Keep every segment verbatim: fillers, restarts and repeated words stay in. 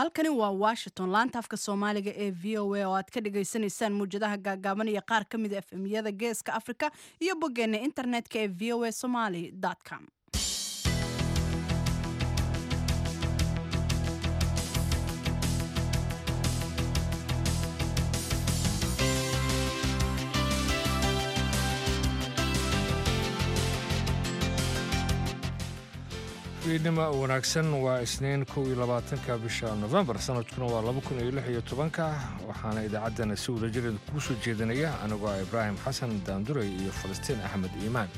Halkani waa Washington, laanta afka Soomaaliga ee V O A oo aad ka dhagaysanaysaan muwjadaha gaagaaban iyo qaar ka mida F M-yada Geeska Afrika iyo boggeena internetka ee V O A Somali com. Fiidnimo wanaagsan. Waa Isniin, kow iyo labaatanka bisha Nofembar, sanadkuna waa laba kun iyo lix iyo tobanka. Waxaana idaacaddana si wadajir kugu soo jeedinaya anigoo ah Ibraahim Xasan Daanduray iyo Falastiin Axmed Iimaan.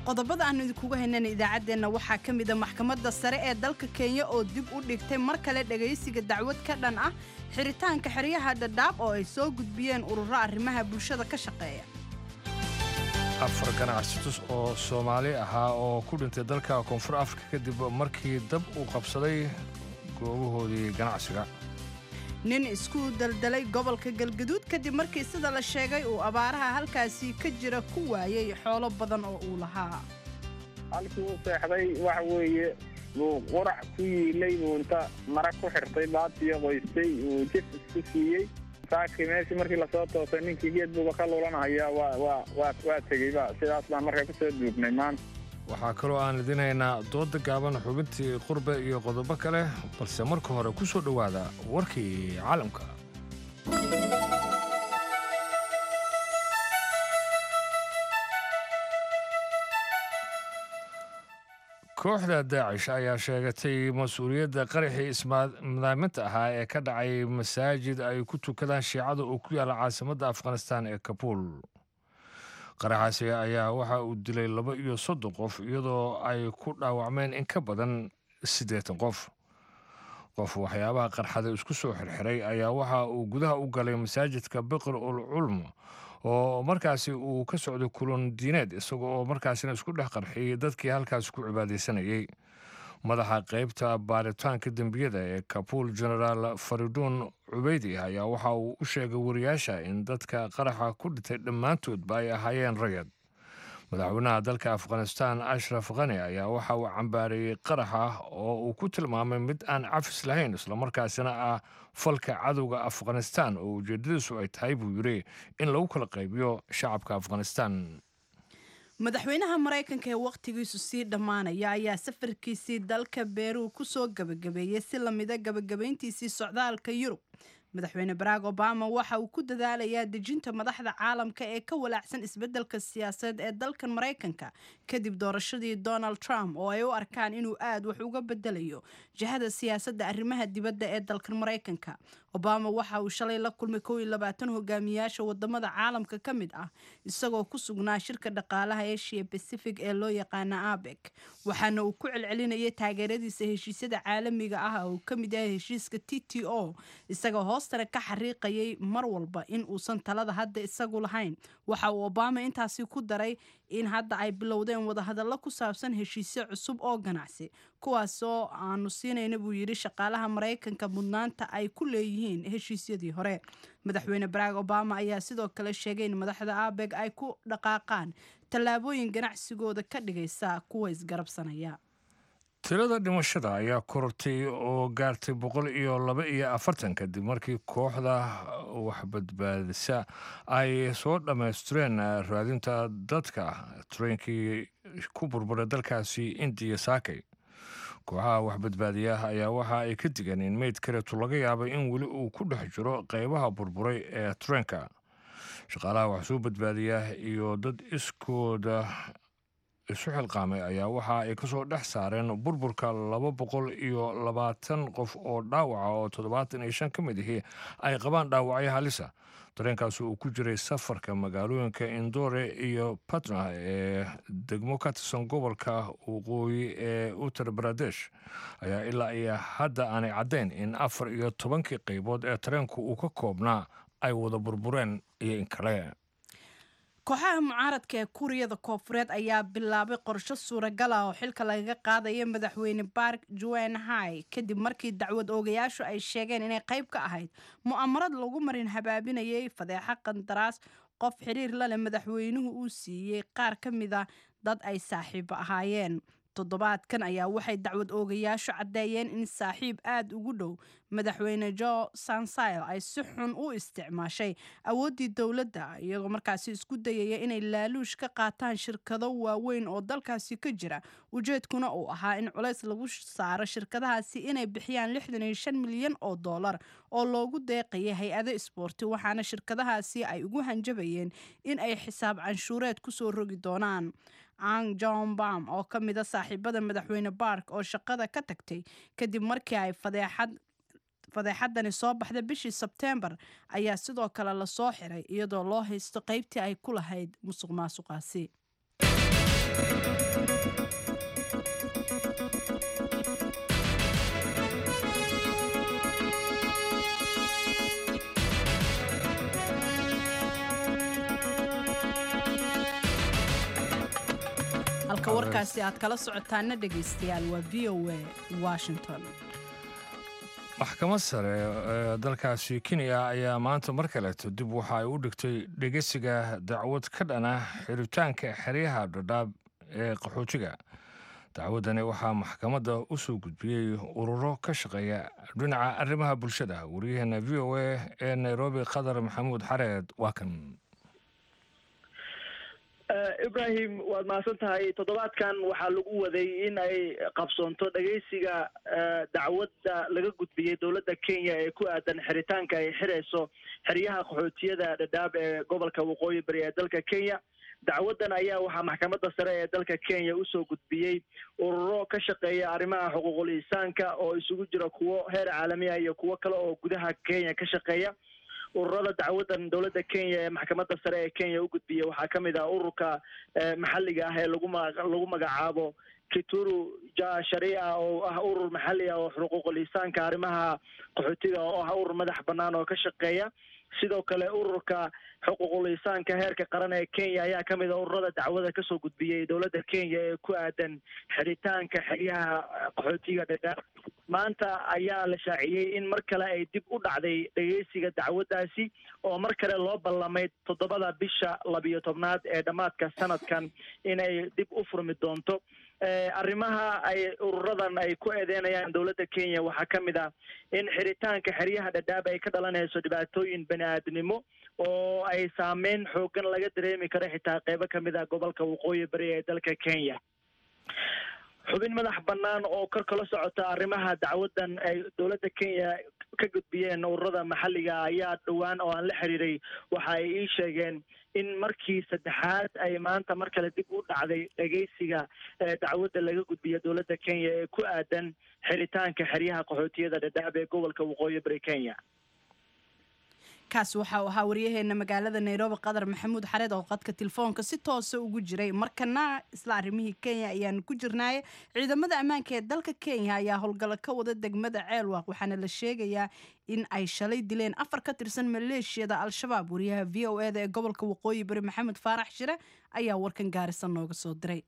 Qodobada aanu idinkugu haynana idaacaddeenna waxaa ka mida maxkamadda sare ee dalka Kenya oo dib u dhigtay mar kale dhegaysiga dacwad ka dhan ah xiritaanka xeryaha Dhadhaab oo ay soo gudbiyeen ururo arrimaha bulshada ka shaqeeya. Afar ganacsatus oo Soomaali ahaa oo ku dhintay dalka Koonfur Afrika kadib markii dab uu qabsaday goobahoodii ganacsiga. Nin isku daldalay gobolka Galgaduud kadib markii, sida la sheegay, uu abaaraha halkaasi ka jira ku waayay xoolo badan oo uu lahaa. Halkii uu seexday waxa weeye buu qurac ku yiilay, buu inta mara ku xirtay, baatiyo qoystay, uu jif isku siiyey. Saakii meeshii markii lasoo toosay, ninkii geed buuba ka lulanhayaa. waa waa waa waa tegeyba. Sidaas baan marka kusoo duugnay maanta. Waxaa kaloo aan idinhaynaa dooda gaaban, xubintii qurbe iyo qodobo kale, balse marka hore ku soo dhowaada warkii caalamka. Kooxda Daacish ayaa sheegatay mas-uuliyadda qaraxii ismadaaminta ahaa ee ka dhacay masaajid ay ku tukadaan Shiicada oo ku yaala caasimadda Afghanistan ee Kabuul. Qaraxaasi ayaa waxa uu dilay laba iyo soddon qof, iyadoo ay ku dhaawacmeen in ka badan siddeetan qof. Qof waxyaabaha qarxada isku soo xirxiray ayaa waxa uu gudaha u galay masaajidka Biqr ul Culm oo markaasi uu ka socday kulan diineed, isaga oo markaasina isku dhex qarxiyey dadkii halkaasi ku cibaadaysanayay. Madaxa qeybta baaritaanka dembiyada ee Kabuul, Genaraal Fariduun Cubeydi, ayaa waxa uu u sheegay wariyaasha in dadka qaraxa ku dhintay dhammaantoodba ay ahaayeen rayad. Madaxweynaha dalka Afghanistan, Ashraf Khani, ayaa waxa uu cambaareeyey qaraxa oo uu ku tilmaamay mid aan cafis lahayn, islamarkaasina ah falka cadowga Afghanistan oo ujeedadiisu ay tahay, buu yidhi, in lagu kala qaybiyo shacabka Afghanistan. Madaxweynaha Maraykanka ee wakhtigiisu sii dhammaanaya ayaa safarkiisii dalka Beru kusoo gabagabeeyey si lamida gabagabayntiisii socdaalka Yurub. Madaxweyne Barack Obama waxa uu ku dadaalayaa dejinta madaxda caalamka ee ka walaacsan isbeddelka siyaasadeed ee dalkan Maraykanka kadib doorashadii Donald Trump, oo ay u arkaan inuu aad wax uga bedelayo jihada siyaasadda arrimaha dibadda ee dalkan Maraykanka. Obama waxa uu shalay la kulmay kow iyo labaatan hogaamiyaasha wadamada caalamka ka mid ah, isagoo ku sugnaa shirka dhaqaalaha Asia Pacific ee loo yaqaana APEC, waxaana uu ku celcelinayay taageeradiisa heshiisyada caalamiga ah oo ka mid yahay heshiiska T T O, isagoo hoostana ka xariiqayay mar walba in uusan talada hadda isagu lahayn. Waxa uu Obama intaasi ku daray in hadda ay bilowdeen wadahadallo ku saabsan heshiisyo cusub oo ganacsi, kuwaasoo aanu siinayna, buu yidhi, shaqaalaha Maraykanka mudnaanta ay ku leeyihiin heshiisyadii hore. Madaxweyne Barack Obama ayaa sidoo kale sheegay in madaxda APEC ay ku dhaqaaqaan tallaabooyin ganacsigooda ka dhigaysa kuwa isgarabsanaya. Tirada dhimashada ayaa korortay oo gaartay boqol iyo laba iyo afartan kadib markii kooxda waxbadbaadisa ay soo dhammaystireen raadinta dadka tareenkii ku burburay dalkaasi Indiya saakay. Kooxaha waxbadbaadiya ayaa waxa ay ka digeen in meyd kaleeto laga yaabay in weli uu ku dhex jiro qeybaha burburay ee tareenka. Shaqaalaha wax soo badbaadiya iyo dad iskooda isu xilqaamay ayaa waxa ay kasoo dhex saareen burburka laba boqol iyo labaatan qof oo dhaawaca, oo toddobaatan iyo shan ka mid ihi ay qabaan dhaawacyo halisa. Tareenkaasi uu ku jiray safarka magaalooyinka Indore iyo Patna ee degmo ka tirsan gobolka waqooyi ee Uttar Pradesh ayaa ilaa iyo hadda aanay caddayn in afar iyo tobankii qeybood ee tareenku uu ka koobnaa ay wada burbureen iyo in kale. Kooxaha mucaaradka ee Kuuriyada Koofureed ayaa bilaabay qorsho suuragal ah oo xilka lagaga qaadaya Madaxweyne Park Geun-hye, kadib markii dacwad oogayaashu ay sheegeen inay qayb ka ahayd mu'amarad lagu marin habaabinayay fadeexa qandaraas qof xiriir la leh madaxweynuhu uu siiyey qaar ka mid a dad ay saaxiibo ahaayeen. Toddobaadkan ayaa waxay dacwad oogayaashu caddeeyeen in saaxiib aada ugu dhow Madaxweyne Jo Sansile ay si xun u isticmaashay awooddii dowladda, iyagoo markaasi isku dayaya inay laaluush ka qaataan shirkado waaweyn oo dalkaasi ka jira, ujeedkuna uu ahaa in culays lagu saaro shirkadahaasi inay bixiyaan lixdan iyo shan milyan oo dollar oo loogu deeqayay hay-ado isboorti, waxaana shirkadahaasi ay ugu hanjabayeen in ay xisaab canshuureed kusoo rogi doonaan. Ang John Bam oo ka mid a saaxiibada Madaxweyne Bark oo shaqada ka tagtay kadib markii ay fadeexad fadeexadani soo baxda bishii Sebteembar ayaa sidoo kale lasoo xiray, iyadoo loo haysto qeybtii ay ku lahayd musuq maasuqaasi. Halka warkaasi aad kala socotaana, dhegaystayaal, waa V O A Washington. Maxkamad sare ee dalkaasi Kenya ayaa maanta mar kaleeto dib waxa ay u dhigtay dhegeysiga dacwad ka dhana xiritaanka xeryaha Dhadhaab ee qaxootiga. Dacwaddani waxaa maxkamadda u soo gudbiyey ururo ka shaqeeya dhinaca arrimaha bulshada. Wariyaheena V O A ee Nairobi, Khadar Maxamuud Xareed, waa kan. Ibrahim, waad mahadsan tahay. Toddobaadkan waxaa lagu waday in ay qabsoonto dhegeysiga dacwadda laga gudbiyey dowladda Kenya ee ku aadan xiritaanka ay xirayso xeryaha qaxootiyada Dhadhaab ee gobolka Waqooyi Bari ee dalka Kenya. Dacwaddan ayaa waxaa Maxkamadda Sare ee dalka Kenya usoo gudbiyey ururo ka shaqeeya arrimaha xuquuqul insaanka oo isugu jira kuwo heer caalami ah iyo kuwo kale oo gudaha Kenya ka shaqeeya. Ururada dacwadan dowladda Kenya ee Maxkamadda Sare ee Kenya u gudbiyey waxaa ka mid ah ururka maxalliga ah ee lagu ma lagu magacaabo Kituo cha Sheria, oo ah urur maxalli ah oo xuquuqul insaanka, arrimaha qaxootiga, oo ah urur madax bannaan oo ka shaqeeya. Sidoo kale, ururka xuquuqul insaanka heerka qaran ee Kenya ayaa ka mid ah ururada dacwada kasoo gudbiyey dowladda Kenya ee ku aadan xiritaanka xeryaha qaxootiga Dhadhaab. Maanta ayaa la shaaciyey in mar kale ay dib u dhacday dhegeysiga dacwaddaasi, oo mar kale loo ballamay toddobada bisha labiyo tobnaad ee dhammaadka sanadkan inay dib u furmi doonto. Arrimaha ay ururadan ay ku eedeynayaan dowladda Kenya waxaa ka mid ah in xiritaanka xeryaha Dhadhaab ay ka dhalanayso dhibaatooyin bani aadnimo oo ay saameyn xoogan laga dareemi karo xitaa qeybo ka mid ah gobolka Waqooyi Bari ee dalka Kenya. Xubin madax bannaan oo kor kala socota arrimaha dacwaddan ay dowladda Kenya ka gudbiyeen ururada maxalliga ayaa dhowaan oo aan la xiriiray waxa ay ii sheegeen in markii saddexaad ay maanta mar kale dib u dhacday dhegeysiga dacwadda laga gudbiya dowladda Kenya ee ku aadan xiritaanka xeryaha qaxootiyada Dhadhaab ee gobolka Waqooyi Bari Kenya. Kaas waxa uu ahaa waryaheena magaalada Nairobi, Qadar Maxamuud Xareed, oo qadka telefoonka si toosa ugu jiray. Markana isla arrimihii Kenya ayaanu ku jirnaaye, ciidamada ammaanka ee dalka Kenya ayaa howlgallo ka wada degmada Ceelwaaq, waxaana la sheegayaa in ay shalay dileen afar ka tirsan maleeshiyada Al-Shabaab. Wariyaha V O A da ee gobolka Waqooyi Bari, Maxamed Faarax Shire, ayaa warkan Gaarisa nooga soo diray.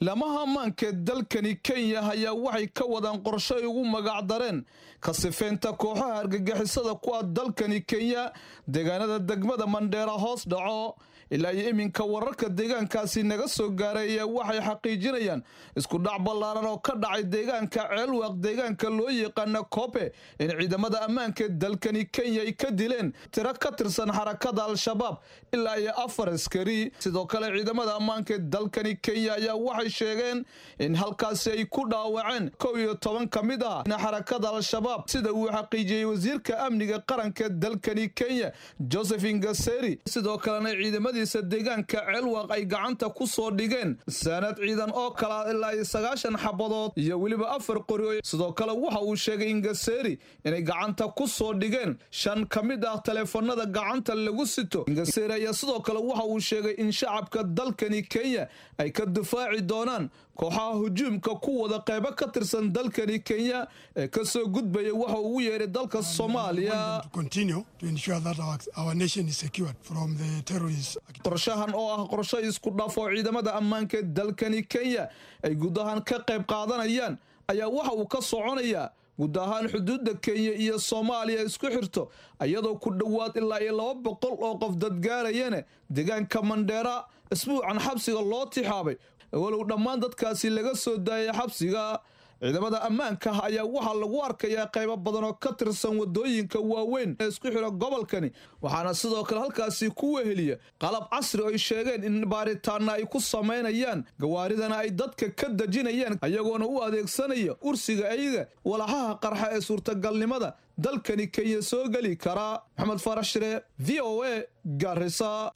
Lamaha ammaanka dalkani Kenya ayaa waxay ka wadaan qorsho ay ugu magacdareen ka sifeynta kooxaha argagixisada ku ah dalkani Kenya deegaanada degmada Mandheera hoos dhaco. Ilaa iyo iminka wararka deegaankaasi naga soo gaaray ayaa waxay xaqiijinayaan isku dhac ballaaran oo ka dhacay deegaanka Ceelwaaq, deegaanka loo yaqaana Koobe, in ciidamada ammaanka dalkani Kenya ay ka dileen tiro ka tirsan xarakada Al-Shabaab, ilaa iyo afar askari. Sidoo kale, ciidamada ammaanka dalkani Kenya ayaa waxay sheegeen in halkaasi ay ku dhaawaceen kow iyo toban ka mid ah xarakada Al-Shabaab, sida uu xaqiijiyey wasiirka amniga qaranka dalkani Kenya, Joseph Nkaissery. Sidoo kalena ciidamadiisa deegaanka Ceelwaaq ay gacanta ku soo dhigeen saanad ciidan oo kala ilaa iyo sagaashan xabadood iyo weliba afar qori. Sidoo kale waxa uu sheegay Nkaissery inay gacanta ku soo dhigeen shan ka mid ah taleefanada gacanta lagu sito. Nkaissery ayaa sidoo kale waxa uu sheegay in shacabka dalkani Kenya ay ka difaaci doonaan kooxaha hujuumka ku wada qaybo ka tirsan dalkani Kenya ee ka soo gudbaya waxa ugu yeeray dalka Soomaaliya. Continue to ensure that our, our nation is secured from the terrorists. Qorshahan oo ah qorshe isku dhaf oo ciidamada ammaanka ee dalkani Kenya ay guud ahaan ka qayb qaadanayaan ayaa waxa uu ka soconayaa guud ahaan xuduudda Kenya iyo Soomaaliya isku xirto, iyadoo ku dhowaad ilaa iyo laba boqol oo qof dadgaarayana deegaanka Mandheera isbuucan xabsiga loo tixaabay, walow dhammaan dadkaasi laga soo daayay xabsiga. Ciidamada ammaanka ah ayaa waxaa lagu arkayaa qaybo badan oo ka tirsan wadooyinka waaweyn ee isku xira gobolkani, waxaana sidoo kale halkaasi ku weheliya qalab casri oo ay sheegeen in baaritaana ay ku samaynayaan, gawaaridana ay dadka ka dejinayaan, ayagoona u adeegsanaya ursiga ayaga walaxaha qarxa ee suurtagalnimada dalkani Kenya soo geli karaa. Maxamed Faarax Shire, V O A, Garissa.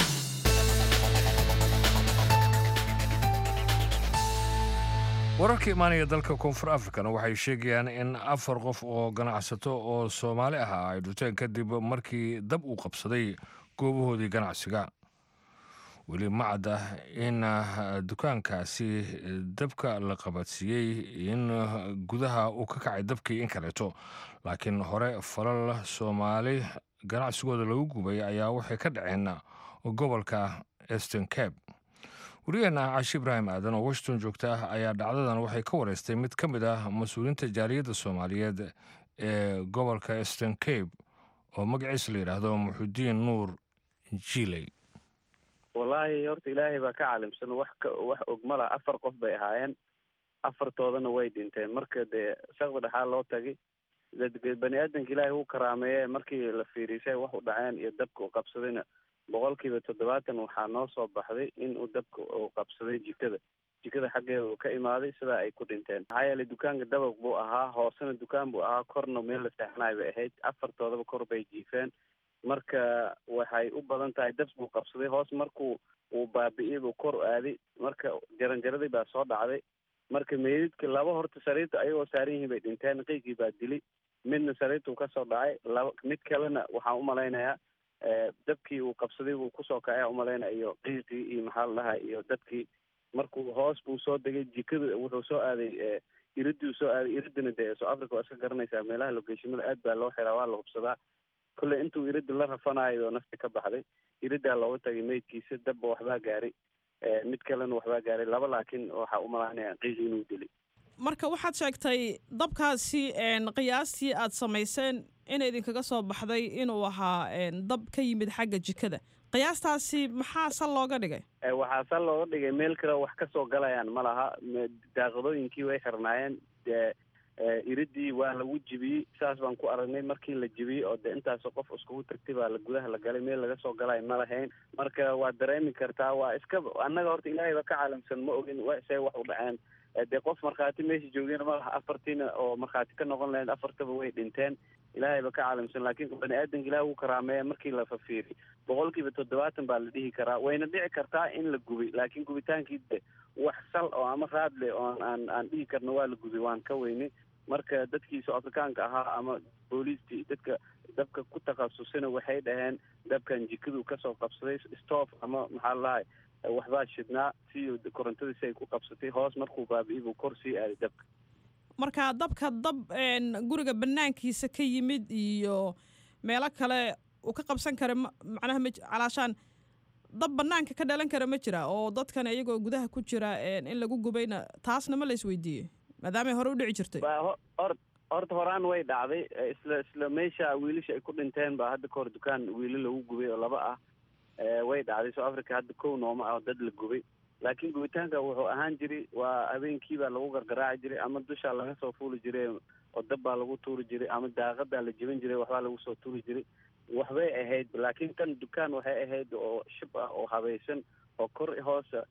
Wararka imaanaya dalka Koonfur Afrikana waxay sheegayaan in afar qof oo ganacsato oo Soomaali ah ay dhinteen kadib markii dab uu qabsaday goobahoodii ganacsiga. Weli ma cadda in dukaankaasi dabka la qabadsiiyey in gudaha uu ka kacay dabkii in kaleeto, laakiin hore falal Soomaali ganacsigooda lagu gubay ayaa waxay ka dhaceen gobolka Eastern Cape. Wariyaheena Caashi Ibraahim Aadan oo Washington joogta ah ayaa dhacdadan waxay ka wareystay mid ka mid ah mas-uuliyiinta jaaliyadda Soomaaliyeed ee gobolka Eastern Cape oo magaciisa la yidhaahdo Muxudiin Nuur Jiiley. Wallaahi horta Ilaahay baa ka caalimsan, wax ka wax og mala. Afar qof bay ahaayeen, afartoodana way dhinteen. Marka dee shaqda dhexaa loo tagay, bani aadanka Ilaahay wuu karaameeye. Markii la fiiriisay wax u dhaceen iyo dabka u qabsadayna, boqolkiiba toddobaatan waxaa noo soo baxday in uu dabka uu qabsaday jikada jikada xaggeeda uu ka imaaday, sidaa ay ku dhinteen. Maxaa yeelay dukaanka dabaq buu ahaa, hoosena dukaan buu ahaa, korna meel la seexanaay bay ahayd. Afartoodaba kor bay jiifeen. Marka waxay u badan tahay dab buu qabsaday hoos, markuu uu baabi'iyey buu kor aaday, marka jaranjaradii baa soo dhacday. Marka meydadka laba horta sariirta ayagoo saaran yihiin bay dhinteen, qiygii baa dilay. Midna sariirtuu kasoo dhacay, laba mid kalena waxaan umalaynayaa dabkii uu qabsaday buu kusoo kacay umalaynaya, iyo qiiqii iyo maxaa la dhahaa iyo dadkii. Markuu hoos buu soo degay, jikada wuxuu soo aaday, iriduu soo aaday. Iridana dee South Africa waa iska garanaysaa, meelaha logeeshimada aad baa loo xiraa, waa la hubsadaa. Kolley intuu irida la rafanayo nafti ka baxday, iridaa looga tagay meydkiisa. Dabba waxbaa gaaray, mid kalena waxbaa gaaray, laba laakiin waxaa umalaynaya qiiqii inuu dilay. Marka waxaad sheegtay dabkaasi qiyaastii aad samayseen in idinkaga soo baxday inuu ahaa dab ka yimid xagga jikada. Qiyaastaasi maxaa sal looga dhigay? Waxaa sal looga dhigay meel kale wax kasoo galayaan ma laha. Daaqadooyinkii way xirnaayeen, iridii waa lagu jibiyey, saas baan ku aragnay. Markii la jibiyey oo de intaasoo qof iskugu tagtay baa la gudaha la galay, meel laga soo galay ma lahayn. Marka waa dareemi kartaa, waa iska annaga horta Ilaahay ba ka caalamsan, ma ogin see wax u dhaceen. Dee qof markhaati meesha joogeen ma laha, afartiina oo markhaati ka noqon lahayd afartaba way dhinteen. Ilaahay ba ka caalamsan, laakiin bani aadanka Ilahay wuu karaameeya. Markii la fafiiriy boqolkiiba toddobaatan baa la dhihi karaa, wayna dhici kartaa in la gubay, laakiin gubitaankii de wax sal oo ama raad leh oo aan aan dhihi karno waa la gubay waan ka weynay. Marka dadkii Soo Afrikaanka ahaa ama booliistii dadka dabka ku takhasusina waxay dhaheen dabkan jikaduu kasoo qabsaday, stoof ama maxaa la dhahay waxbaa shidnaa si korontadii si ay ku qabsatay hoos, markuu baabi'iyey buu kor sii aaday dabka. Marka dabka dab guriga banaankiisa ka yimid iyo meelo kale uu ka qabsan kara macnaha ma calaashaan dab banaanka ka dhalan kara ma jira, oo dadkan iyagoo gudaha ku jira in lagu gubayna taasna ma la isweydiiyey maadaamay hore u dhici jirtay? Horta horaan way dhacday, isla isla meesha wiilasha ay ku dhinteen baa hadda kahor dukaan wiilo lagu gubay oo laba ah way dhacday. South Africa hadda kow nooma ah dad la gubay, laakiin gubitaanka wuxuu ahaan jiray waa habeenkii baa lagu gargaraaci jiray, ama dushaa laga soo fuuli jiray oo dab baa lagu tuuri jiray, ama daaqadaa la jebin jiray waxbaa lagu soo tuuri jiray, waxbay ahayd. Laakiin tan dukaan waxay ahayd oo shib ah oo habaysan oo kor hoosa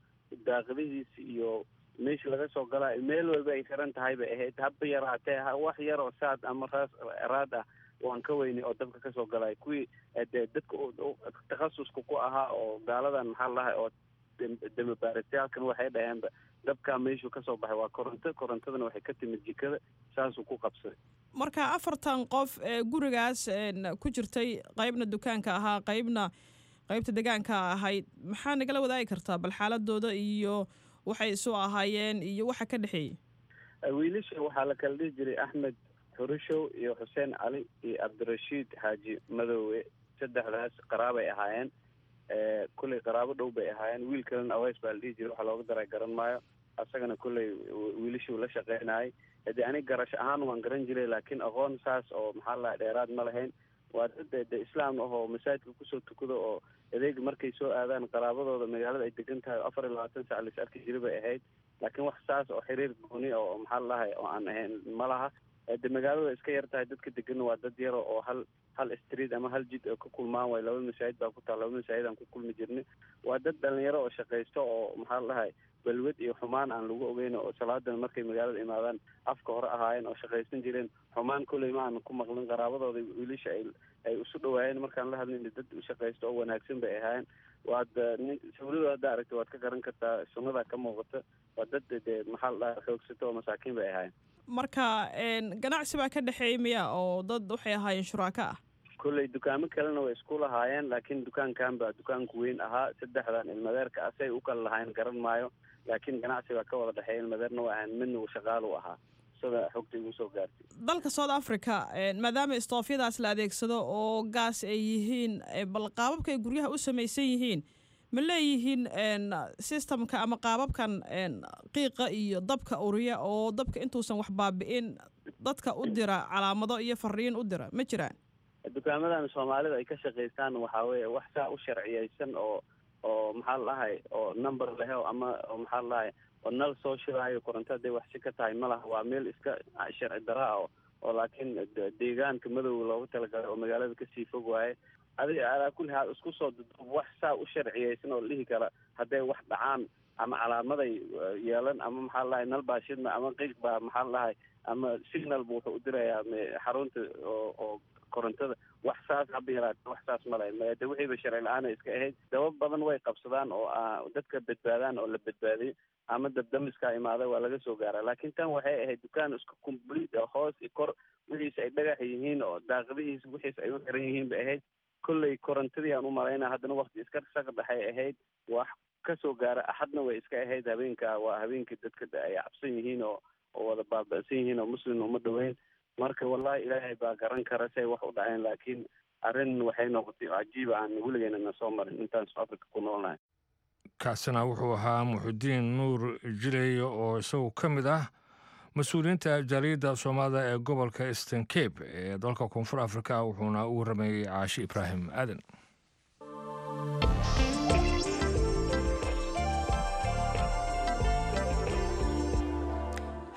daaqadihiisa iyo meesha laga soo galaayo meel walba ay xiran tahay bay ahayd. Haba yaraatee wax yar oo saad ama raas raad ah waan ka weynay oo dabka kasoo galaayo. Kuwii dee dadka takhasuska ku ahaa oo gaaladan maxaa la dhahay oo damabaarisyaalkan waxay dhaheenba dabkaa meeshuu kasoo baxay waa koronto, korontadana waxay ka timid jikada, saasuu ku qabsaday. Marka afartan qof ee gurigaas ku jirtay, qaybna dukaanka ahaa qaybna qaybta degaanka ahayd, maxaa nagala wadaagi kartaa bal xaaladooda iyo waxay isu ahaayeen iyo waxa ka dhexeeyey? Wiilasha waxaa la kala dhihi jiray Axmed Xurushow iyo Xuseen Cali iyo Cabdirashiid Xaaji Madoowe, saddexdaas qaraabay ahaayeen. Kulley qaraabo dhow bay ahaayeen. Wiil kalena Aways baa la dhihi jiray, waxa looga daray garan maayo, asagana kulley wiilashuu la shaqeynayay. Hadee aniga garasho ahaan waan garan jiray, laakiin aqoon saas oo maxaa la dheeraad ma lahayn. Waa dad de islaam ah oo masaajidka kusoo tukado oo adeeg markay soo aadaan qaraabadooda magaalada ay degan tahay oo afar iyo labaatan sac lais arki jiray bay ahayd. Laakiin wax saas oo xiriir gooni oo maxaa la dhahay oo aan ahayn ma laha. De magaalada iska yar tahay, dadka deganna waa dad yaro oo hal hal street ama hal jid oo ka kulmaan waay. Laba masaajid baa ku taal, laba masaajid aan ku kulmi jirnay. Waa dad dhalinyaro oo shaqaysto oo maxaa la dhahay balwad iyo xumaan aan lagu ogeyn, oo salaadana markay magaalada imaadaan afka hore ahaayeen oo shaqaysan jireen. Xumaan kulley ma aanan ku maqlin. Qaraabadooda wiilasha ay ay isu dhawaayeen markaan la hadlayna dad shaqaysto oo wanaagsan bay ahaayeen. Waad sawirada hadda aragta waad ka garan kartaa, sunnadaa ka muuqata. Waa dad dee maxaa la dhahay xoogsato oo masaakiin bay ahaayeen. Marka ganacsi baa ka dhexeeyay miya oo dad waxay ahaayeen shuraako ah? Kulley dukaamo kalena way isku lahaayeen, laakiin dukaankan baa dukaanku weyn ahaa. Saddexdan ilmadeerka asay u kala lahaayeen garan maayo, laakiin ganacsi baa ka wada dhexeeya. Ilmadeerna waa ahayn, midna uu shaqaalu ahaa, sida xogta igu soo gaartay. Dalka South Africa maadaama istoofyadaas la adeegsado oo gaas ay yihiin, bal qaababka ay guryaha u samaysan yihiin ma leeyihiin systemka ama qaababkan qiiqa iyo dabka uriya oo dabka intuusan wax baabi'in dadka u dira calaamado iyo fariin u dira ma jiraan? Dukaamadan soomaalida ay ka shaqaystaan waxaa weeye wax saa u sharciyeysan oo oo maxaa la dhahay oo number lehe ama oo maxaa la dhahay oo nal soo shiraayo koronto hadday wax si ka tahay ma laha. Waa meel iska sharci dara ah oo laakiin deegaanka madowga loogu talagalay oo magaalada kasii fog waaye. Adiga alaa kulli haal isku soo duduub wax saa u sharciyeysan oo la dhihi kara hadday wax dhacaan ama calaamaday yeelan ama maxaa la dhahay nal baa shidma ama qiiq baa maxaa la dhahay ama signal buu wuxuu u dirayaa xarunta oo oo korontada, wax saas haba yaraate wax saas ma lahayn. De wixiiba sharci la-aan ay iska ahayd. Daba badan way qabsadaan oo dadka badbaadaan oo la badbaadiyo ama dabdamiskaa imaada waa laga soo gaaraa. Laakiin tan waxay ahayd dukaan isku complete oo hoos iyo kor wixiisa ay dhagax yihiin oo daaqadihiisa wixiisa ay u xiran yihiin bay ahayd. Kolley korontadii aan u malaynaa haddana wakti iska shaqa dhexay ahayd, wax kasoo gaara axadna way iska ahayd. Habeenka waa habeenkii dadka ay cabsan yihiin oo oo wada baaba'san yihiin oo muslim uma dhaweyn. Marka wallahi ilaahay baa garan kara say wax u dhaceen, laakiin arrin waxay noqotay cajiib aan weligeena na soo marin intaan South Africa ku noolnahay. Kaasina wuxuu ahaa Muxudiin Nuur Jileeye oo isagu ka mid ah mas-uuliyiinta jaaliyadda soomaalida ee gobolka Eastern Cape ee dalka Koonfur Afrika, wuxuuna u warramayey Caashi Ibraahim Aadan.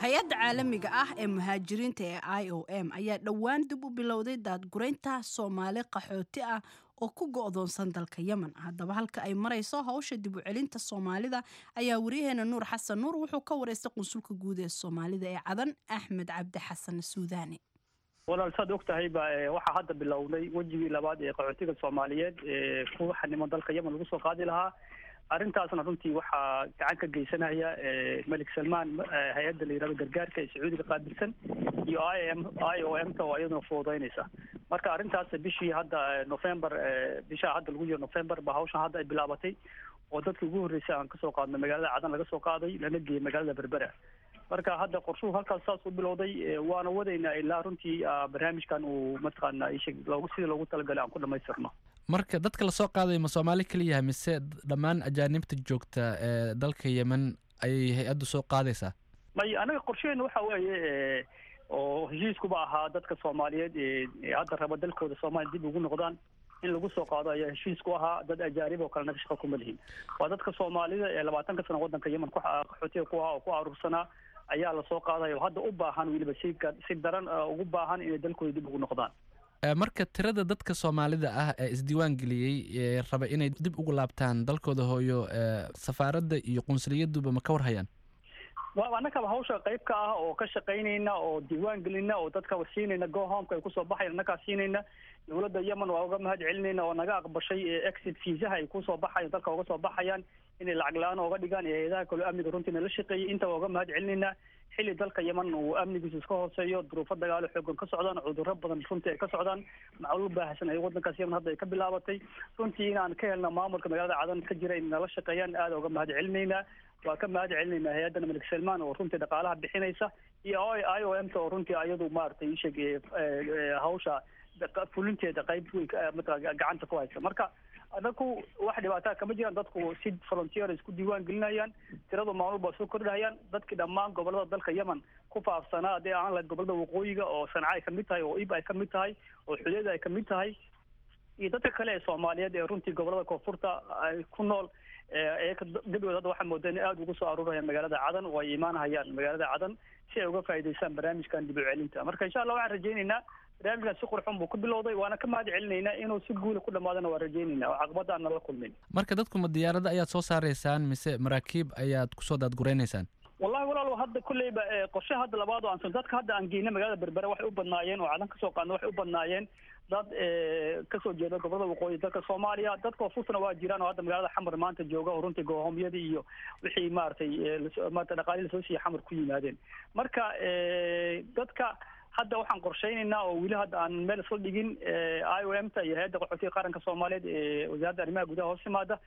Hay-adda caalamiga ah ee muhaajiriinta ee I O M ayaa dhowaan dib u bilowday daadgureynta Soomaali qaxooti ah oo ku go'doonsan dalka Yemen. Haddaba halka ay marayso hawsha dib u celinta Soomaalida ayaa wariyaheena Nuur Xasan Nuur wuxuu ka wareystay qunsulka guud ee Soomaalida ee Cadan, Axmed Cabdi Xasan Suudaani. Walaal, saad og tahay ba waxaa hadda bilownay wejigii labaad ee qaxootiga Soomaaliyeed ee ku xaniman dalka Yemen lagu soo qaadi lahaa. Arrintaasna runtii waxaa gacan ka geysanaya Malik Salmaan, hay-adda la yihahdo gargaarka ee Sacuudiga qaabilsan, iyo I M I O M ta oo iyaduna fududeynaysa. Marka arrintaas bishii hadda November, bisha hadda lagu jiro November ba hawshan hadda ay bilaabatay oo dadkii ugu horreysay aan kasoo qaadnay magaalada Cadan laga soo qaaday lana geeyey magaalada Berbera. Marka hadda qorshuhu halkaas saas u bilowday, waana wadaynaa ilaa runtii barnaamijkan uu mataqaana loogu sidii loogu talagalay aan ku dhamaystirno. Marka dadka lasoo qaaday ma Soomaali keliyaha mise dhammaan ajaanibta joogta ee dalka Yemen ayay hay-addu soo qaadaysaa? May, anaga qorshaheena waxa weeye oo heshiiskuba ahaa dadka Soomaaliyeed ee hadda raba dalkooda Soomaaliya dib ugu noqdaan in lagu soo qaado ayaa heshiisku ahaa. Dad ajaanib oo kalena shaqo kuma lihin. Waa dadka Soomaalida ee labaatanka sano waddanka Yemen ku qaxootiga ku ahaa oo ku aruursanaa ayaa lasoo qaadaya oo hadda u baahan weliba si si daran ugu baahan inay dalkooda dib ugu noqdaan. Marka tirada dadka Soomaalida ah ee isdiiwaan geliyey ee raba inay dib ugu laabtaan dalkooda hooyo, safaaradda iyo qunsuliyaduba ma ka warhayaan? Wa annakaba hawsha qayb ka ah oo ka shaqaynayna oo diiwaan gelinna oo dadka siinayna go homeka ay kusoo baxayan annakaa siinayna. Dowladda Yemen waa uga mahad celinayna oo naga aqbashay exit fiisaha ay kusoo baxayan dalka uga soo baxayaan inay lacag la-aan ooga dhigaan iyo hay-adaha kaloo amniga runtii nala shaqeeyay inta waa uga mahad celinaynaa. Xilli dalka Yemen uu amnigiisu iska hooseeyo, duruufo dagaalo xoogan ka socdaan, cudurro badan runtii ay ka socdaan, macluul baahsan ay waddankaas Yemen hadda ay ka bilaabatay. Runtii inaan ka helna maamulka magaalada Cadan ka jira inay nala shaqeeyaan aada uga mahad celinaynaa. Waa ka mahad celinaynaa hay-addan Malik Salmaan oo runtii dhaqaalaha bixinaysa iyo I O M ta oo runtii ayadu maaragtay isheeg hawsha fulinteeda qayb weyn mataqaa gacanta ku haysa. Marka Anaku wax dhibaataa kama jiraan, dadku si volunteer isku diiwaan gelinayaan, tiradu maalmo baa soo kordhahayaan. Dadkii dhammaan gobolada dalka Yemen ku faafsanaa, haddii aan lahayd gobolada waqooyiga oo Sanca ay kamid tahay, oo Ib ay kamid tahay, oo Xudeeda ay kamid tahay, iyo dadka kale ee Soomaaliyeed ee runtii gobolada koonfurta ay ku nool, gebigood hadda waxaa moodaa inay aada ugu soo aruurayaan magaalada Cadan oo ay imaanahayaan magaalada Cadan si ay uga faa'iidaystaan barnaamijkan dib u celinta. Marka insha Allah waxaan rajaynaynaa barnaamijkan si qurxun buu ku bilowday, waana ka mahad celinaynaa inuu si guula ku dhamaadana waan rajaynaynaa oo caqabada aan nala kulmin. Marka dadku ma diyaarada ayaad soo saaraysaan mise maraakiib ayaad kusoo daadguraynaysaan? Wallahi walaalo, hadda kulleyba qorshe hadda labaad oo aan dadka hadda aan geynay magaalada Berbera waxay u badnaayeen oo Cadan kasoo qaadna waxay u badnaayeen dad kasoo jeeda gobolada waqooyi dalka Soomaaliya. Dad koonfurtana waa jiraan oo hadda magaalada Xamar maanta jooga oo runtii gohomyadii iyo wixii maaragtay maarata dhaqaalihii lasoo siiyey Xamar ku yimaadeen. Marka dadka hadda waxaan qorshaynaynaa oo weli hadda aan meel isla dhigin I O M ta iyo hay-adda qaxootiga qaranka Soomaaliyeed ee wasaaradda arrimaha gudaha hoos yimaada,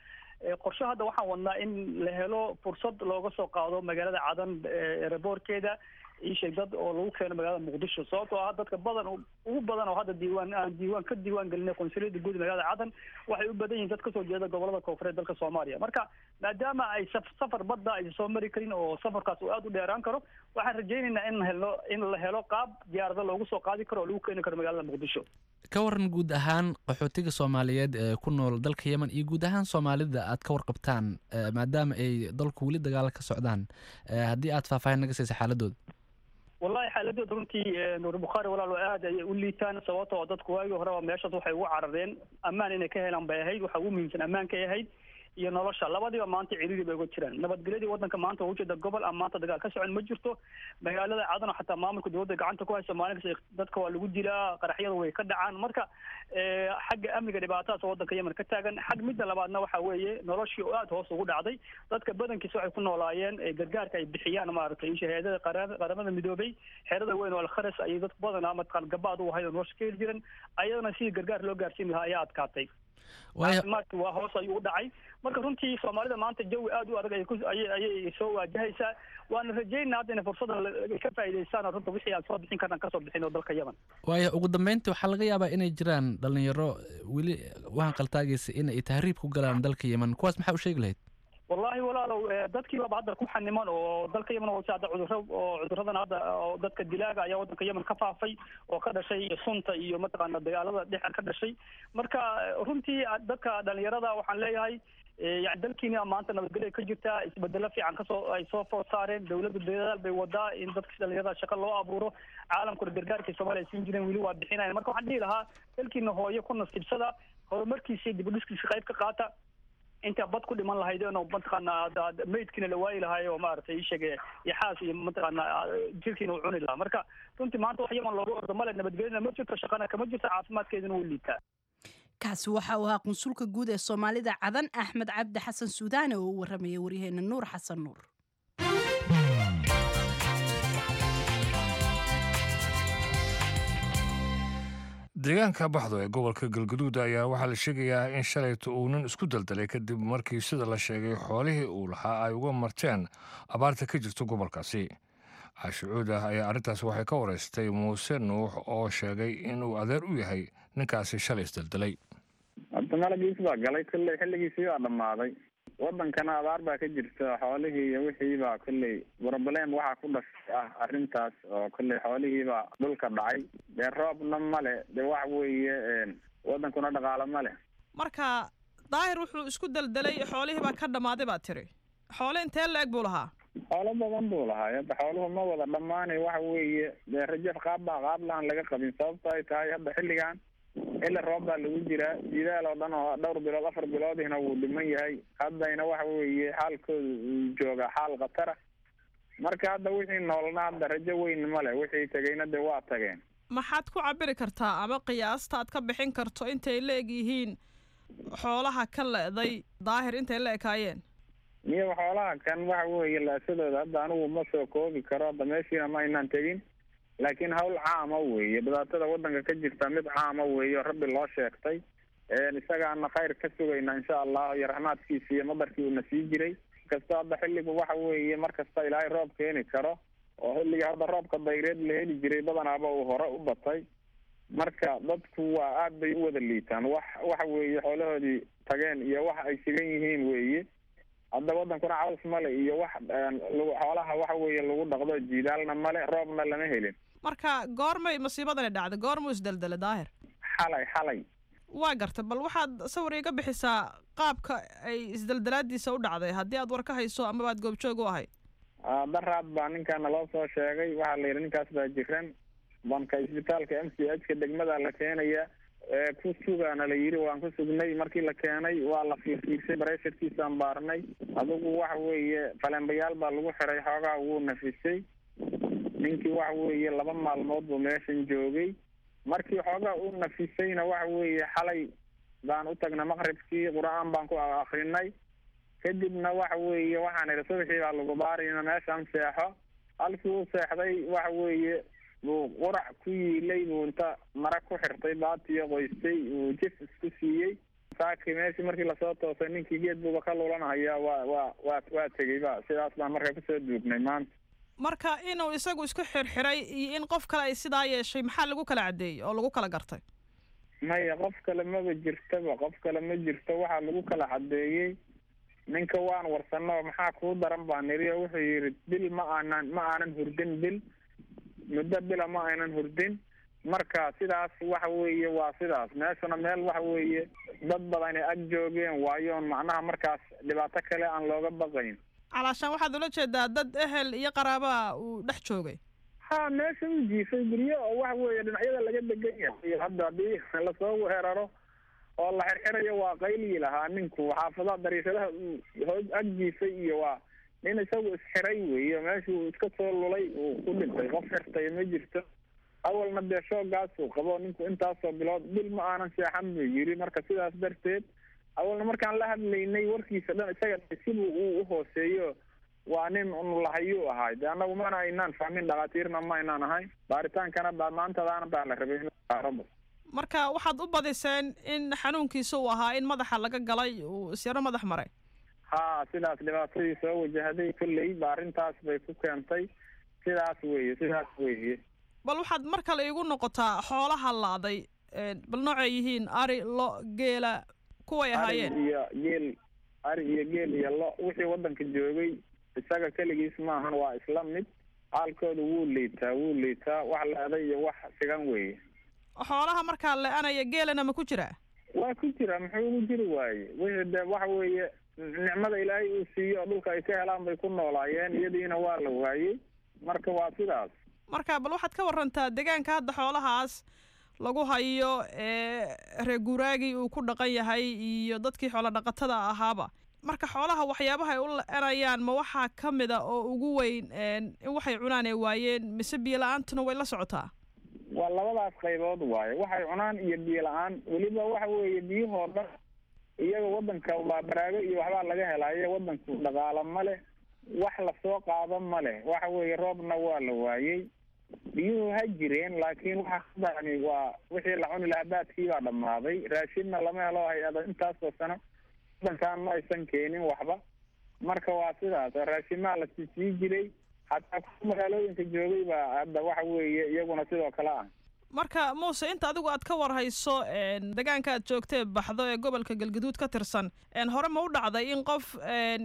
qorshe hadda waxaan wadnaa in la helo fursad looga soo qaado magaalada Cadan eraboorkeeda iisheeg dad oo lagu keeno magaalada Muqdisho, sababtoo ah dadka badan ugu badan oo hadda diiwaan aan diiwaan ka diiwaan gelinay qunsuliyadda guud magaalada Cadan waxay u badan yihiin dad kasoo jeeda gobolada koonfureed dalka Soomaaliya. Marka maadaama ay safar badda aysan soo mari karin oo safarkaas uu aada u dheeraan karo, waxaan rajaynaynaa in helno in la helo qaab diyaarada loogu soo qaadi karo oo lagu keeni karo magaalada Muqdisho. Ka waran guud ahaan qaxootiga Soomaaliyeed ee ku nool dalka Yemen iyo guud ahaan Soomaalida aad ka warqabtaan, maadaama ay dalku weli dagaal ka socdaan, haddii aad faahfaahin naga siisa xaaladooda? Wallahi xaaladooda runtii Nuur Bukhaari walaalo aad ayay u liitaan, sababtoo dadku waagii horeba meeshaas waxay ugu carareen ammaan inay ka helaan bay ahayd, waxa ugu muhiimsan ammaankay ahayd iyo nolosha, labadiiba maanta ciriiri bay uga jiraan. Nabadgelyadii waddanka maanta waa ujeeda gobol aan maanta dagaal ka socon ma jirto. Magaalada Cadan oo xataa maamulka dowladda gacanta ku hayso maalin kasta dadka waa lagu dilaa, qaraxyada way ka dhacaan. Marka xagga amniga dhibaatadaas oo waddanka Yemen ka taagan. Xag midda labaadna waxa weeye noloshii oo aada hoos ugu dhacday, dadka badankiisa waxay ku noolaayeen gargaarka ay bixiyaan maaragtay shahaadada qaramada midoobay, xerada weyn oo Alkharas ayay dadku badanaa mataqaan gabaad u ahayd oo nolosha ka heli jiran, ayadana sidii gargaar loo gaarsiin lahaa ayaa adkaatay. Caafimaadki waa hoos ayuu u dhacay. Marka runtii Soomaalida maanta jawi aada u adag ayay ayay soo waajahaysaa, waana rajaynaa hadda inay fursadda ka faa'iidaystaan oo runta wixii aan soo bixin karnaan kasoo bixin oo dalka Yemen. Waayo ugu dambeyntii waxaa laga yaabaa inay jiraan dhalinyaro weli waxaan qaltaagaysa in ay tahriib ku galaan dalka Yemen, kuwaas maxaa u sheegi lahayd? Wallahi walaalow, dadkii baaba hadda ku xaniman oo dalka Yemen oo hadda cudurro oo cudurradan hadda oo dadka dilaaga ayaa waddanka Yemen ka faafay oo ka dhashay sunta iyo mataqaana dagaalada dhex ka dhashay. Marka runtii dadka dhalinyarada waxaan leeyahay yani dalkiina maanta nabadgelya ka jirtaa, isbedelo fiican kasoo ay soo food saareen, dowladda dadaal bay wadaa in dadka dhalinyarada shaqo loo abuuro, caalamkuna gargaarkii Soomaaliya ay siin jireen weli waa bixinaya. Marka waxaan dhihi lahaa dalkiina hooyo ku nasiibsada, horumarkiisa dib u dhiskiisa qayb ka qaata, inta bad ku dhiman lahaydeen oo mataqaana meydkiina la waayi lahaay oo maaragtay isheege iyo xaas iyo mataqaana jirkiina uu cuni lahaa. Marka runtii maanta wax Yemen loogu ordo male, nabadgelyana ma jirto, shaqana kama jirto, caafimaadkeeduna wuu liitaa. Kaasi waxa uu ahaa qunsulka guud ee Soomaalida Cadan Axmed Cabdi Xasan Suudaane oo u waramayay waryaheena Nuur Xasan Nuur. Deegaanka Baxdo ee gobolka Galgaduud ayaa waxaa la sheegayaa in shalayto uu nin isku daldalay kadib markii sida la sheegay xoolihii uu lahaa ay uga marteen abaarta ka jirta gobolkaasi. Caashi Cuudah ayaa arrintaas waxay ka wareystay Muuse Nuux oo sheegay inuu adeer u yahay ninkaasi shalay isdaldalay. Hadda malagiis baa galay kolley, xilligiisii baa dhammaaday, waddankana abaar baa ka jirta, xoolihii iyo wixii baa kolley broblem waxaa ku dhashay ah arrintaas oo kolley xoolihii baa dhulka dhacay, dee roobna male, dee wax weeye waddankuna dhaqaalo male. Marka Daahir wuxuu isku daldalay xoolihii baa ka dhammaaday baa tiri, xoole intee la-eg buu lahaa? Xoolo badan buu lahaa, hadda xooluhu ma wada dhammaanay, waxa weeye dee rajaf qaab baa qaab lahan laga qabin, sababto ay tahay hadda xilligan xilli roob baa lagu jiraa, jidaal oo dhan oo dhowr bilood afar biloodihna wuu dhiman yahay, haddayna waxa weeye xaalkooda uu joogaa xaal khatara. Marka hadda wixii noolna hadda rajo weyn male, wixii tegeyna dee waa tageen. Maxaad ku cabiri kartaa ama qiyaasta aad ka bixin karto intay la eg yihiin xoolaha ka le'day Daahir intay la ekaayeen? Miyo xoolaha kan waxa weeye laasadooda hadda anigu ma soo koobi karo, hadda meeshiina ma aynaan tegin, laakiin hawl caama weeye, dhibaatada waddanka ka jirta mid caama weeye oo rabbi loo sheegtay, isagaana khayr ka sugayna insha Allah iyo raxmaadkiisa iyo madarkii uuna sii jiray. Kasta hadda xilligu waxa weeye mar kasta ilaahay roob keeni karo oo xilliga hadda roobka dayreed la heli jiray badanaaba uu hore u batay. Marka dadku waa aad bay u wada liitaan, wax waxa weeye xoolahoodii tageen iyo wax ay sigan yihiin weeye. Hadda wadankuna caws male iyo wax xoolaha waxa weeye lagu dhaqdo, jiidaalna male, roobna lama helin. Marka goormay masiibadani dhacday? Goormuu isdeldelay Daahir? Xalay, xalay. Waa garta. Bal waxaad sawir iga bixisaa qaabka ay isdeldelaadiisa u dhacday, haddii aad war ka hayso amaba aad goobjoog u ahayd. Daraad baa ninkaana loo soo sheegay, waxaa la yidhi ninkaas baa jiran, banka isbitaalka M C H ka degmada la keenaya, ku sugaana la yidhi. Waan ku sugnay. Markii la keenay waa la fiirfiirsay, baresharkiisaan baarnay. Adigu waxa weeye falembayaal baa lagu xiray, xoogaa wuu nafisay ninkii. Waxa weeye laba maalmood buu meeshan joogay. Markii xoogaa uu nafisayna waxa weeye xalay baan u tagnay maqribkii, qur-aan baan ku akrinay. Kadibna waxa weeye waxaan idhi subaxii baa lagu baarayna, meeshaan seexo. Halkii uu seexday waxa weeye buu qurac ku yiilay, buu inta mara ku xirtay baatiyo qoystay, uu jif isku siiyey. Saaki meeshii markii lasoo toosay ninkii geed buuba ka lulanhayaa, waa waa waa waa tegey ba. Sidaas baan marka kusoo duugnay maanta. Marka inuu isagu isku xirxiray iyo in qof kale ay sidaa yeeshay, maxaa lagu kala caddeeyey oo lagu kala gartay? Maya, qof kale maba jirtaba, qof kale ma jirto. Waxaa lagu kala caddeeyey ninka waan warsano, maxaa kuu daran baan niri, oo wuxuu yidhi bil ma aanan ma aanan hurdin, bil muddo bila ma aynan hurdin. Marka sidaas waxa weeye waa sidaas. Meeshuna meel waxa weeye dad badan ay ag joogeen waayoon, macnaha markaas dhibaato kale aan looga baqayn. Calaashaan waxaad ula jeedaa dad ehel iyo qaraabaa uu dhex joogay? Ha, meesha u jiifay guryo oo waxa weeye dhinacyada laga degan yahay. Hadda haddii lasoo weeraro oo la xirxirayo waa qaylii lahaa ninku. Xaafadaha dariishadaha uu hoog ag jiifay iyo waa nin isagu isxiray weeye, meeshuu iska soo lulay uu ku dhintay. Qof xirtay ma jirto. Awalna dee shoogaasuu qabo ninku, intaasoo bilood bil ma aanan seexan buu yiri. Marka sidaas darteed awalna markaan la hadlaynay warkiisa dhan isaga sibuu uu u hooseeyo, waa nin unulahayuu ahay. Dee annagu mana aynaan fahmin, dhakhaatiirna ma aynaan ahayn, baaritaankana baa maantadaana baa la rabay in la baarabo. Marka waxaad u badiseen in xanuunkiisa uu ahaa in madaxa laga galay, uu isyaro madax maray? Ha, sidaas dhibaatadii soo wajahday kolley ba arrintaas bay ku keentay. Sidaas weeye, sidaas weeye. Bal waxaad mar kale iigu noqotaa xoolaha laaday, bal noocay yihiin, ari, lo, geela, kuway ahaayeen? Ari iyo geel, ari iyo geel iyo lo, wixii waddanka joogay isaga keligiis maahan, waa isla mid. Xaalkooda wuu liitaa, wuu liitaa. Wax la-day iyo wax sigan weeye. Xoolaha markaa le-anaya geelana ma ku jiraa? Waa ku jira, muxuu ugu jiri waaye? Wixii dee waxa weeye nicmada ilaahay uu siiyo oo dhulka ay ka helaan bay ku noolaayeen, iyadiina waa la waayey. Marka waa sidaas. Marka bal waxaad ka warantaa deegaanka hadda xoolahaas lagu hayo ee reer guuraagii uu ku dhaqan yahay iyo dadkii xoolo dhaqatada ahaaba. Marka xoolaha waxyaabaha ay u la-anayaan ma waxaa ka mid a oo ugu weyn in waxay cunaan ay waayeen, mise biyo la-aantuna way la socotaa? Waa labadaas qaybood waaye, waxay cunaan iyo biyo la-aan. Weliba waxa weeye biyuhoo dhan iyaga wadanka waa baraago iyo waxbaa laga helaayo. Wadanku dhaqaalo ma leh, wax lasoo qaado ma leh. Waxa weeye roobna waa la waayey, biyuhu ha jireen, laakiin waxa kadani waa wixii la cuni lahaa baadkii baa dhammaaday. Raashinna lama helo, hay-ada intaasoo sano wadankan ma aysan keenin waxba. Marka waa sidaas, raashimaa la sii jiray, xataa kuwa magaalooyinka joogay baa hadda waxa weeye iyaguna sidoo kale ah. Marka Muuse, inta adigu aad ka warhayso deegaanka aad joogtee Baxdo ee gobolka Galgaduud ka tirsan, hore ma u dhacday in qof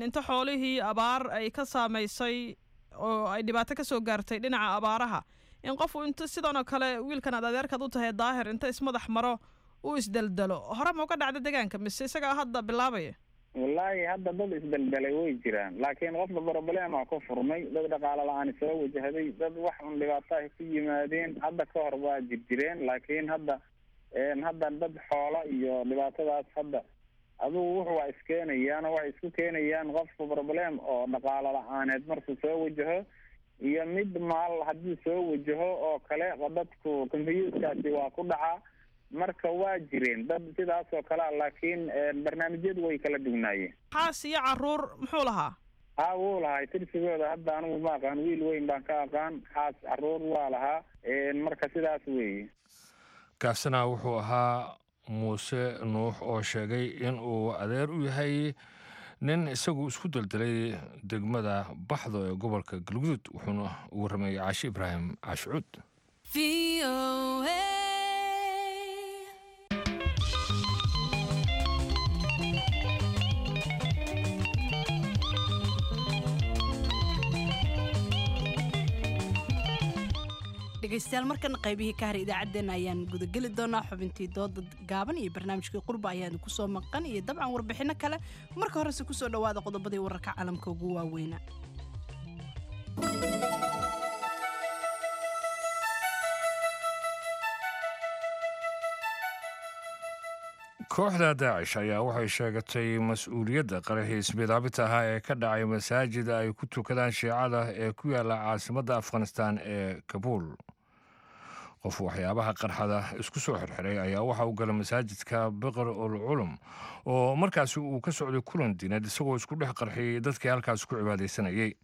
inta xoolihii abaar ay ka saamaysay oo ay dhibaato ka soo gaartay dhinaca abaaraha, in qof inta sidan oo kale wiilkan aad adeerkaad u tahay Daahir inta ismadax maro uu isdeldelo? Hore ma uga dhacda deegaanka mise isagaa hadda bilaabaya? Wallaahi hadda dad isdeldelay way jiraan, laakiin qofba problema ku furmay, dad dhaqaalo la-aan soo wajahday, dad wax un dhibaato ay ku yimaadeen. Hadda ka hor waa jirjireen, laakiin hadda hadda dad xoola iyo dhibaatadaas hadda adugu wuxu waa iskeenayaan oo waxay isku keenayaan qofka problem oo dhaqaalo la-aaneed markuu soo wajaho iyo mid maal haddii soo wajaho oo kale, dadku combyuutarkaasi waa ku dhacaa. Marka waa jireen dad sidaas oo kalea, laakiin barnaamijyadu way kala dugnaayeen. Xaas iyo caruur muxuu lahaa? Ha, wuu lahay. Tirsigooda hadda anigu ma aqaan, wiil weyn baan ka aqaan. Xaas caruur waa lahaa. Marka sidaas weeye. Kaasina wuxuu ahaa Muuse Nuux oo sheegay in uu adeer u yahay nin isagu isku deldelay degmada Baxdo ee gobolka Galguduud, wuxuuna ugu rameeyey Caashi Ibraahim Caashicuud. Dhegaystayaal, markana qaybihii ka haray idaacaddeenna ayaan gudageli doonaa. Xubintii dooda gaaban iyo barnaamijkii qurba ayaan kusoo maqan iyo dabcan warbixinno kale. Marka horese kusoo dhowaada qodobadii wararka caalamka ugu waaweyna. Kooxda Daacish ayaa waxay sheegatay mas-uuliyadda qaraxii ismidaabita ahaa ee ka dhacay masaajida ay ku tukadaan Shiicada ee ku yaala caasimadda Afghanistan ee Kabuul. Qof waxyaabaha qarxada isku soo xirxiray ayaa waxa uu galay masaajidka Biqr ul Culum oo markaasi uu ka socday kulan diineed, isagoo isku dhex qarxiyey dadkii halkaas ku cibaadaysanayay.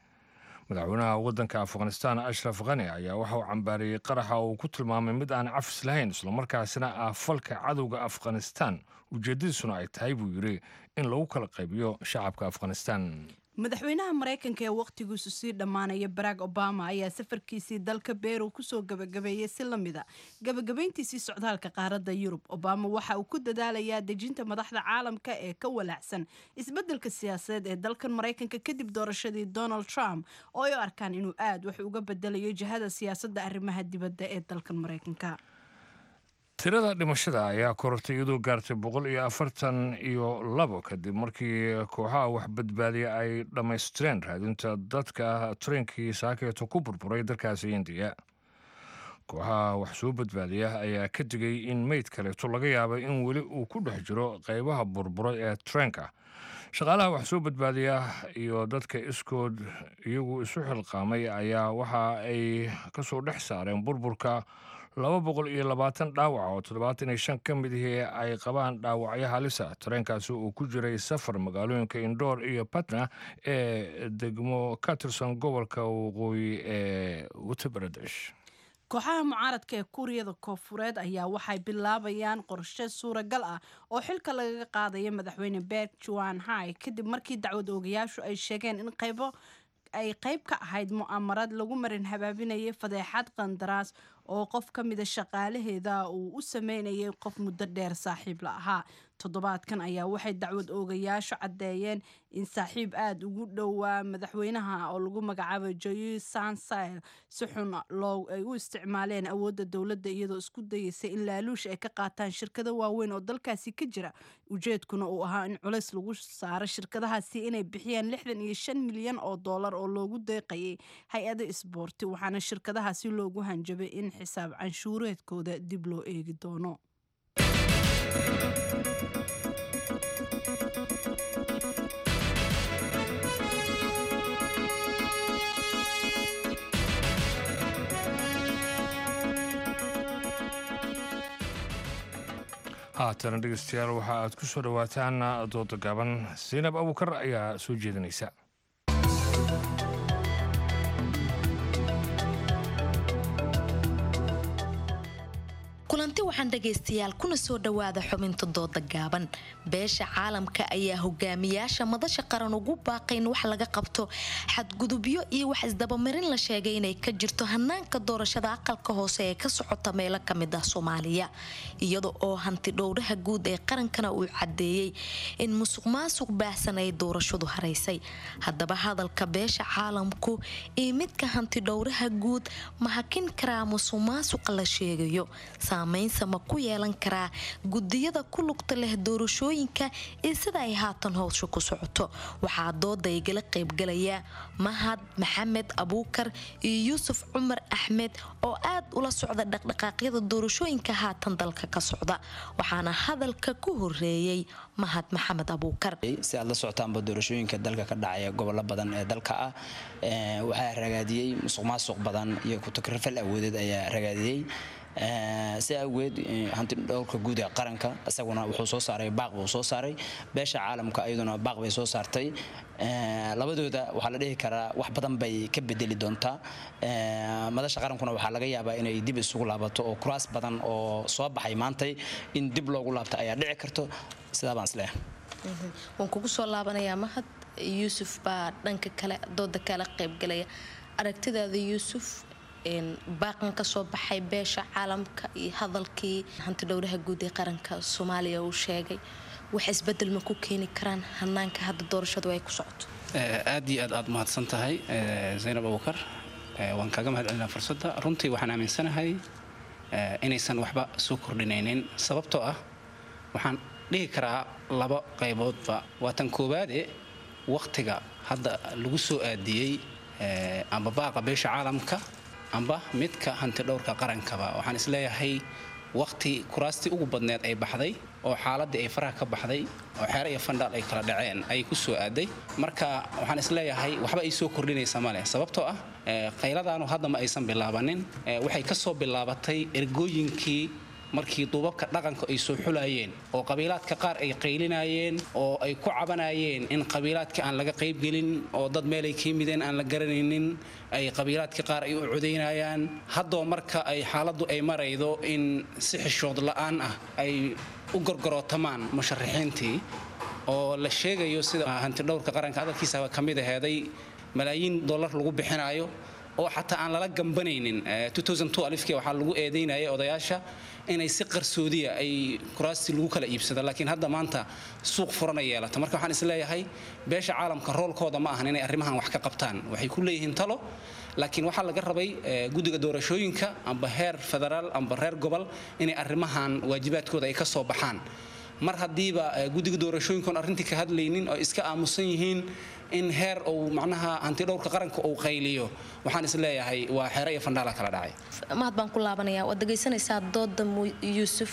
Madaxweynaha waddanka Afghanistan Ashraf Khani ayaa waxa uu cambaariyey qaraxa oo uu ku tilmaamay mid aan cafis lahayn, islamarkaasina ah falka cadowga Afghanistan, ujeeddadiisuna ay tahay, buu yidhi, in lagu kala qaybiyo shacabka Afghanistan. Madaxweynaha Maraykanka ee wakhtigiisu sii dhammaanaya Barack Obama ayaa safarkiisii dalka Beru kusoo gabagabeeyey si la mida gabagabayntiisii socdaalka qaaradda Yurub. Obama waxa uu ku dadaalayaa dejinta madaxda caalamka ee ka walaacsan isbeddelka siyaasadeed ee dalkan Maraykanka kadib doorashadii Donald Trump, oo ay u arkaan inuu aad wax uga bedelayo jihada siyaasadda arrimaha dibadda ee dalkan Maraykanka. Tirada dhimashada ayaa korortay iyadoo gaartay boqol iyo afartan iyo labo kadib markii kooxaha wax badbaadiya ay dhammaystireen raadinta dadka tareenkii saakeeto ku burburay dalkaasi Indiya. Kooxaha wax soo badbaadiya ayaa ka digay in meyd kaleeto laga yaabay in weli uu ku dhex jiro qaybaha burburay ee tareenka. Shaqaalaha wax soo badbaadiya iyo dadka iskood iyagu isu xilqaamay ayaa waxa ay kasoo dhex saareen burburka laba boqol iyo labaatan dhaawac oo toddobaatan iyo shan ka mid ihii ay qabaan dhaawacyo halisa. Tareenkaasi uu ku jiray safar magaalooyinka Indoor iyo Patna ee degmo ka tirsan gobolka waqooyi ee Uttar Pradesh. Kooxaha mucaaradka ee Kuuriyada Koonfureed ayaa waxay bilaabayaan qorshe suuragal ah oo xilka lagaga qaadaya madaxweyne Park Geun-hye, kadib markii dacwad oogayaashu ay sheegeen in qaybo ay qayb ka ahayd mu'aamarad lagu marin habaabinayay fadeexad qandaraas oo qof ka mida shaqaalaheeda uu u sameynayay qof muddo dheer saaxiib la ahaa. Toddobaadkan ayaa waxay dacwad oogayaashu caddeeyeen in saaxiib aada ugu dhowaa madaxweynaha oo lagu magacaabay Joy Sansail si xun loo ay u isticmaaleen awoodda dowladda, iyadoo isku dayeysa in laaluush ay ka qaataan shirkado waaweyn oo dalkaasi ka jira, ujeedkuna uu ahaa in culays lagu saaro shirkadahaasi inay bixiyaan lixdan iyo shan milyan oo dollar oo loogu deeqayay hay-ada isboorti, waxaana shirkadahaasi loogu hanjabay in xisaab canshuureedkooda dib loo eegi doono. Haatana dhegeystayaal, waxa aad ku soo dhowaataan dooda gaaban. Zaynab Abuukar ayaa soo jeedinaysa. Kulanti waxaan dhagaystayaal, kuna soo dhawaada xubinta dooda gaaban. Beesha caalamka ayaa hogaamiyaasha madasha qaran ugu baaqay in wax laga qabto xadgudubyo iyo wax isdabamarin la sheegay inay ka jirto hanaanka doorashada aqalka hoose ee ka socota meelo kamid ah Soomaaliya, iyada oo hanti dhowraha guud ee qarankana uu cadeeyey in musuq maasuq baahsan ay doorashadu haraysay. Haddaba hadalka beesha caalamku iyo midka hanti dhowraha guud ma hakin karaa musuq maasuqa la sheegayo? Saamaynsa ma ku yeelan karaa gudiyada ku lugta leh doorashooyinka iyo sida ay haatan howsha ku socoto? Waxaa dooda igala qaybgalaya Mahad Maxamed Abuukar iyo Yuusuf Cumar Axmed oo aad ula socda dhaqdhaqaaqyada doorashooyinka haatan dalka ka socda. Waxaana hadalka ku horeeyey Mahad Maxamed Abuukar. Si aad la socotaanba, doorashooyinka dalka ka dhacaya gobollo badan ee dalka ah waxaa ragaadiyey musuq maasuq badan iyo ku-takrifal awoodeed ayaa ragaadiyey. Si awgeed, hanti dhowrka guud ee qaranka isaguna wuxuu soo saaray baaq buu soo saaray, beesha caalamka iyaduna baaq bay soo saartay. Labadooda waxaa la dhihi karaa wax badan bay ka bedeli doontaa. Madasha qarankuna waxaa laga yaabaa inay dib isugu laabato oo kuraas badan oo soo baxay maantay in dib loogu laabto ayaa dhici karto. Sidaa baan isleeyahay. Waan kugu soo laabanayaa, Mahad. Yuusuf baa dhanka kale dooda kala qaybgalaya. Aragtidaada, Yuusuf, baaqan ka soo baxay beesha caalamka iyo hadalkii hanti dhowraha guud ee qaranka Soomaaliya uu sheegay, wax isbedel ma ku keeni karaan hanaanka hadda doorashadu ay ku socoto? Aad iyo aad aad mahadsan tahay, Zaynab Abuukar. Waan kaaga mahad celinaa fursadda. Runtii waxaan aaminsanahay inaysan waxba soo kordhinaynin, sababtoo ah waxaan dhihi karaa laba qayboodba. Waa tan koowaade, wakhtiga hadda lagu soo aadiyey amba baaqa beesha caalamka amba midka hantidhowrka qarankaba, waxaan isleeyahay wakhti kuraastii ugu badneed ay baxday oo xaaladii ay faraha ka baxday oo xeere iyo fandhaal ay kala dhaceen ay ku soo aaday. Marka waxaan isleeyahay waxba ay soo kordhinaysa male, sababtoo ah qayladaanu hadda ma aysan bilaabanin. Waxay ka soo bilaabatay ergooyinkii markii duubabka dhaqanka ay soo xulayeen oo qabiilaadka qaar ay qaylinayeen oo ay ku cabanayeen in qabiilaadka aan laga qaybgelin oo dad meelay ka yimideen aan la garanaynin ay qabiilaadka qaar ay u codaynayaan. Haddoo marka ay xaaladdu ay maraydo in si xishood la'aan ah ay u gorgorootamaan musharaxiintii oo la sheegayo sida hantidhowrka qaranka hadalkiisaba ka mid aheeday malaayiin dollar lagu bixinayo oo xataa aan lala gambanaynin. Alifkii waxaa lagu eedeynayay odayaasha inay si qarsoodiya ay kuraastii lagu kala iibsado, laakiin hadda maanta suuq furana yeelata. Marka waxaan isleeyahay beesha caalamka roolkooda ma ahan inay arrimahan wax ka qabtaan, waxay ku leeyihiin talo, laakiin waxaa laga rabay guddiga doorashooyinka amba heer federaal amba reer gobol inay arrimahan waajibaadkooda ay ka soo baxaan. Mar haddiiba guddiga doorashooyinkoon arrintii ka hadlaynin oo iska aamusan yihiin in heer uu macnaha hantidhowrka qaranka uu qayliyo, waxaan isleeyahay waa xeere iyo fandhaala kala dhacay. Mahad baan ku laabanayaa. Waad dhegaysanaysaa dooda Yuusuf,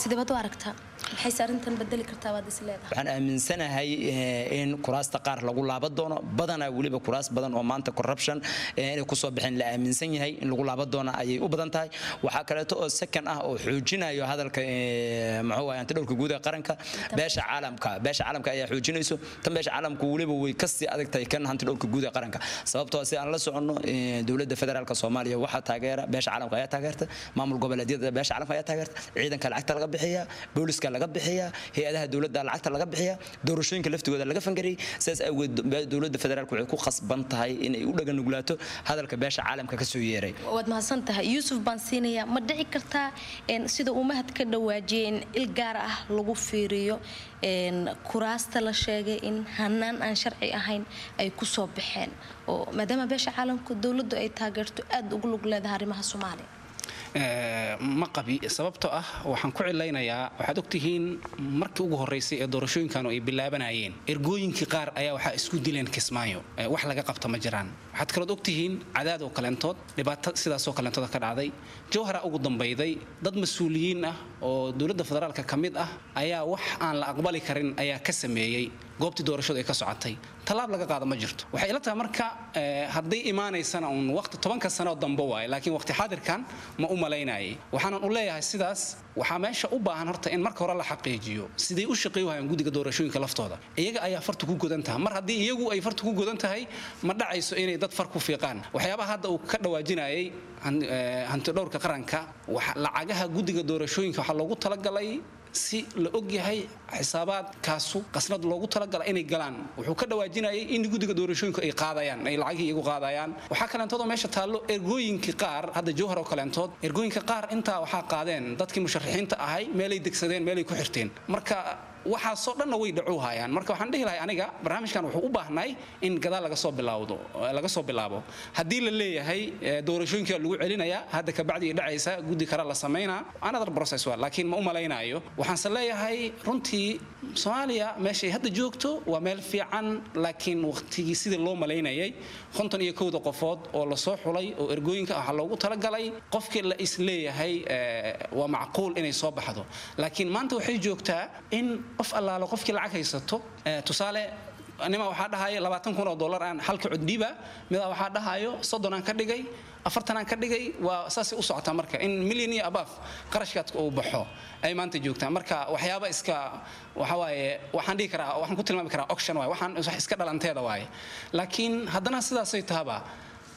sidee baad u aragtaa? Maxayse arrintan bedeli kartaa baad is leedahay? Waxaan aaminsanahay in kuraasta qaar lagu laaban doono, badanaa weliba kuraas badan oo maanta corruption inay kusoo baxeen la aaminsan yahay in lagu laaban doono ayay u badan tahay. Waxaa kaleeto oo second ah oo xoojinayo hadalka muxuu ahay hantidhowrka guud ee qaranka, beesha caalamka beesha caalamka ayaa xoojinayso. Tan beesha caalamku weliba way kasii adag tahay kan hantidhowrka guud ee qaranka, sababtoo si aan la soconno dowladda federaalka Soomaaliya waxaa taageera beesha caalamka ayaa taageerta, maamul goboleedyada beesha caalamka ayaa taageerta, ciidanka lacagta laga bixiyaa, booliska laga bixiyaa, hay'adaha dowladda lacagta laga bixiyaa, doorashooyinka laftigooda laga fangariyay. Sidaas awgeed dowladda federaalku waxay ku khasban tahay inay u dhagan-nuglaato hadalka beesha caalamka ka soo yeeray. Waad mahadsan tahay Yuusuf. Baan siinayaa, ma dhici kartaa sida uu Mahad ka dhawaajiyay in il gaar ah lagu fiiriyo kuraasta la sheegay in hanaan aan sharci ahayn ay ku soo baxeen, oo maadaama beesha caalamka dowladdu ay taageerto aada ugu lug leedahay arrimaha Soomaaliya? Ma qabi, sababtoo ah waxaan ku cilaynayaa waxaad ogtihiin markii ugu horreysay ee doorashooyinkan ay bilaabanayeen ergooyinkii qaar ayaa waxaa isku dileen Kismaayo, wax laga qabta ma jiraan. Waxaad kalood ogtihiin cadaad oo kaleentood dhibaato sidaasoo kaleentood ka dhacday. Jowhara ugu dambayday dad mas-uuliyiin ah oo dowladda federaalka ka mid ah ayaa wax aan la aqbali karin ayaa ka sameeyey goobtii doorashadu ay ka socotay, tallaab laga qaado ma jirto. Waxay ila tahay marka hadday imaanaysana uun waqti tobanka sano dambe waaye, laakiin waqti xaadirkan ma u malaynayay. Waxaanan u leeyahay sidaas waxaa meesha u baahan horta in marka hore la xaqiijiyo siday u shaqeey waayaan guddiga doorashooyinka laftooda. Iyaga ayaa fartu ku godan tahay, mar haddii iyagu ay fartu ku godan tahay ma dhacayso inay dad far ku fiiqaan. Waxyaabaha hadda uu ka dhawaajinayay hantidhowrka qaranka, lacagaha guddiga doorashooyinka waxaa loogu talagalay si la og yahay xisaabaadkaasu qasnad loogu talagalay inay galaan. Wuxuu ka dhawaajinayay in guddiga doorashooyinku ay qaadayaan, ay lacagihii iyagu qaadayaan. Waxaa kaleentood oo meesha taallo ergooyinkii qaar hadda Jowhar oo kaleentood ergooyinka qaar intaa waxaa qaadeen dadkii musharaxiinta ahay, meelay degsadeen, meelay ku xirteen. Marka waxaasoo dhanna way dhacuu hayaan. Marka waxaan dhihi lahay aniga barnaamijkan wuxuu u baahnay in gadaal laga soo bilaawdo laga soo bilaabo. Haddii la leeyahay doorashooyinka lagu celinayaa hadda kabacdi dhacaysa guddi kale la samaynaa, another process waa, laakiin ma u malaynayo. Waxaanse leeyahay runtii Soomaaliya meeshay hadda joogto waa meel fiican, laakiin waqtigii sidii loo malaynayay konton iyo kowda qofood oo lasoo xulay oo ergooyinka waxaa loogu talagalay qofkii la is leeyahay waa macquul inay soo baxdo, laakiin maanta waxay joogtaa in qof allaalo qofkii lacag haysato. Tusaale nima waxaa dhahayo labaatan kun oo dollar aan halka cod dhiiba, midaa waxaa dhahayo soddon aan ka dhigay, afartan aan ka dhigay, waa saasay u socotaa. Marka in milyan iyo abaaf qarashkaadka uu baxo ay maanta joogtaa. Marka waxyaaba iska waxa waaye waxaan dhihi karaa waxaan ku tilmaami karaa auction waaye, waxaan wax iska dhalanteeda waaye, laakiin haddana sidaasay tahaba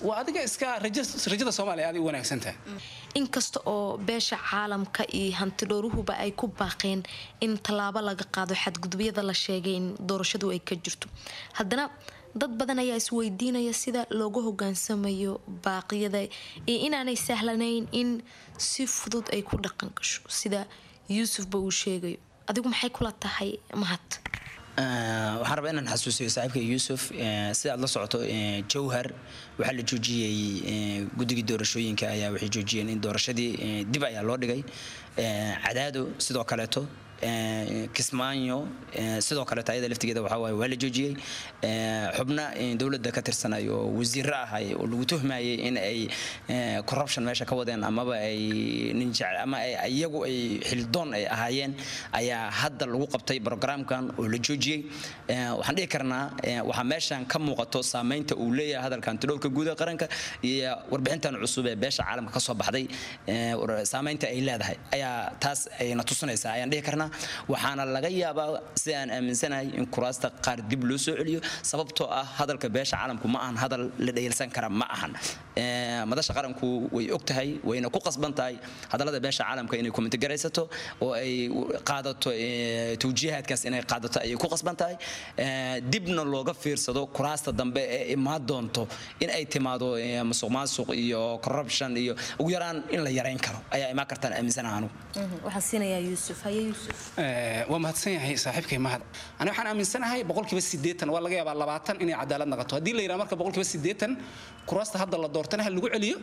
waa adiga iska rajada Soomaaliya aad u wanaagsan tahay. Inkasta oo beesha caalamka iyo hantidhowruhuba ay ku baaqeen in tallaabo laga qaado xadgudubyada la sheegay in doorashadu ay ka jirto, haddana dad badan ayaa isweydiinaya sida loogu hogaansamayo baaqyada iyo inaanay sahlanayn in si fudud ay ku dhaqan gasho sida Yuusufba uu sheegayo. Adigu maxay kula tahay Mahad? Waxaan rabaa inaan xasuusiyo saaxiibka Yuusuf, sida aad la socoto Jowhar waxaa la joojiyey, guddigii doorashooyinka ayaa waxay joojiyeen in doorashadii dib ayaa loo dhigay. Cadaado sidoo kaleeto, Kismaayo sidoo kaleeto, ayada laftigeeda waxaa waaye waa la joojiyey. Xubna dowladda ka tirsanay oo wasiirro ahay oo lagu tuhmayay in ay corruption meesha ka wadeen amaba ay nin jecel ama ay iyagu ay xildoon ay ahaayeen ayaa hadda lagu qabtay programkan oo la joojiyey. Waxaan dhihi karnaa waxaa meeshan ka muuqato saameynta uu leeyahay hadalkan hantidhowrka guud ee qaranka iyo warbixintan cusub ee beesha caalamka ka soo baxday, saameynta ay leedahay ayaa taas ayna tusinaysaa ayaan dhihi karnaa. Waxaana laga yaabaa, sida aan aaminsanahay, in kuraasta qaar dib loo soo celiyo, sababtoo ah hadalka beesha caalamku ma ahan hadal la dhayalsan kara ma ahan. Madasha qaranku way og tahay wayna ku qasban tahay hadallada beesha caalamka inay comment garaysato oo ay qaadato, tawjiihaadkaas inay qaadato ayay ku qasban tahay, dibna looga fiirsado kuraasta dambe ee imaan doonto in ay timaado musuq maasuq iyo corruption iyo ugu yaraan in la yarayn karo ayaa imaan kartaan aaminsanahay anugu. Waxaan siinayaa Yuusuf. Haye Yuusuf. Waa mahadsan yahay saaxiibkay Mahad. Aniga waxaan aaminsanahay boqolkiiba siddeetan, waa laga yaabaa labaatan inay cadaalad noqoto. Haddii la yidhaha marka boqolkiiba siddeetan kuraasta hadda la doortana ha lagu celiyo,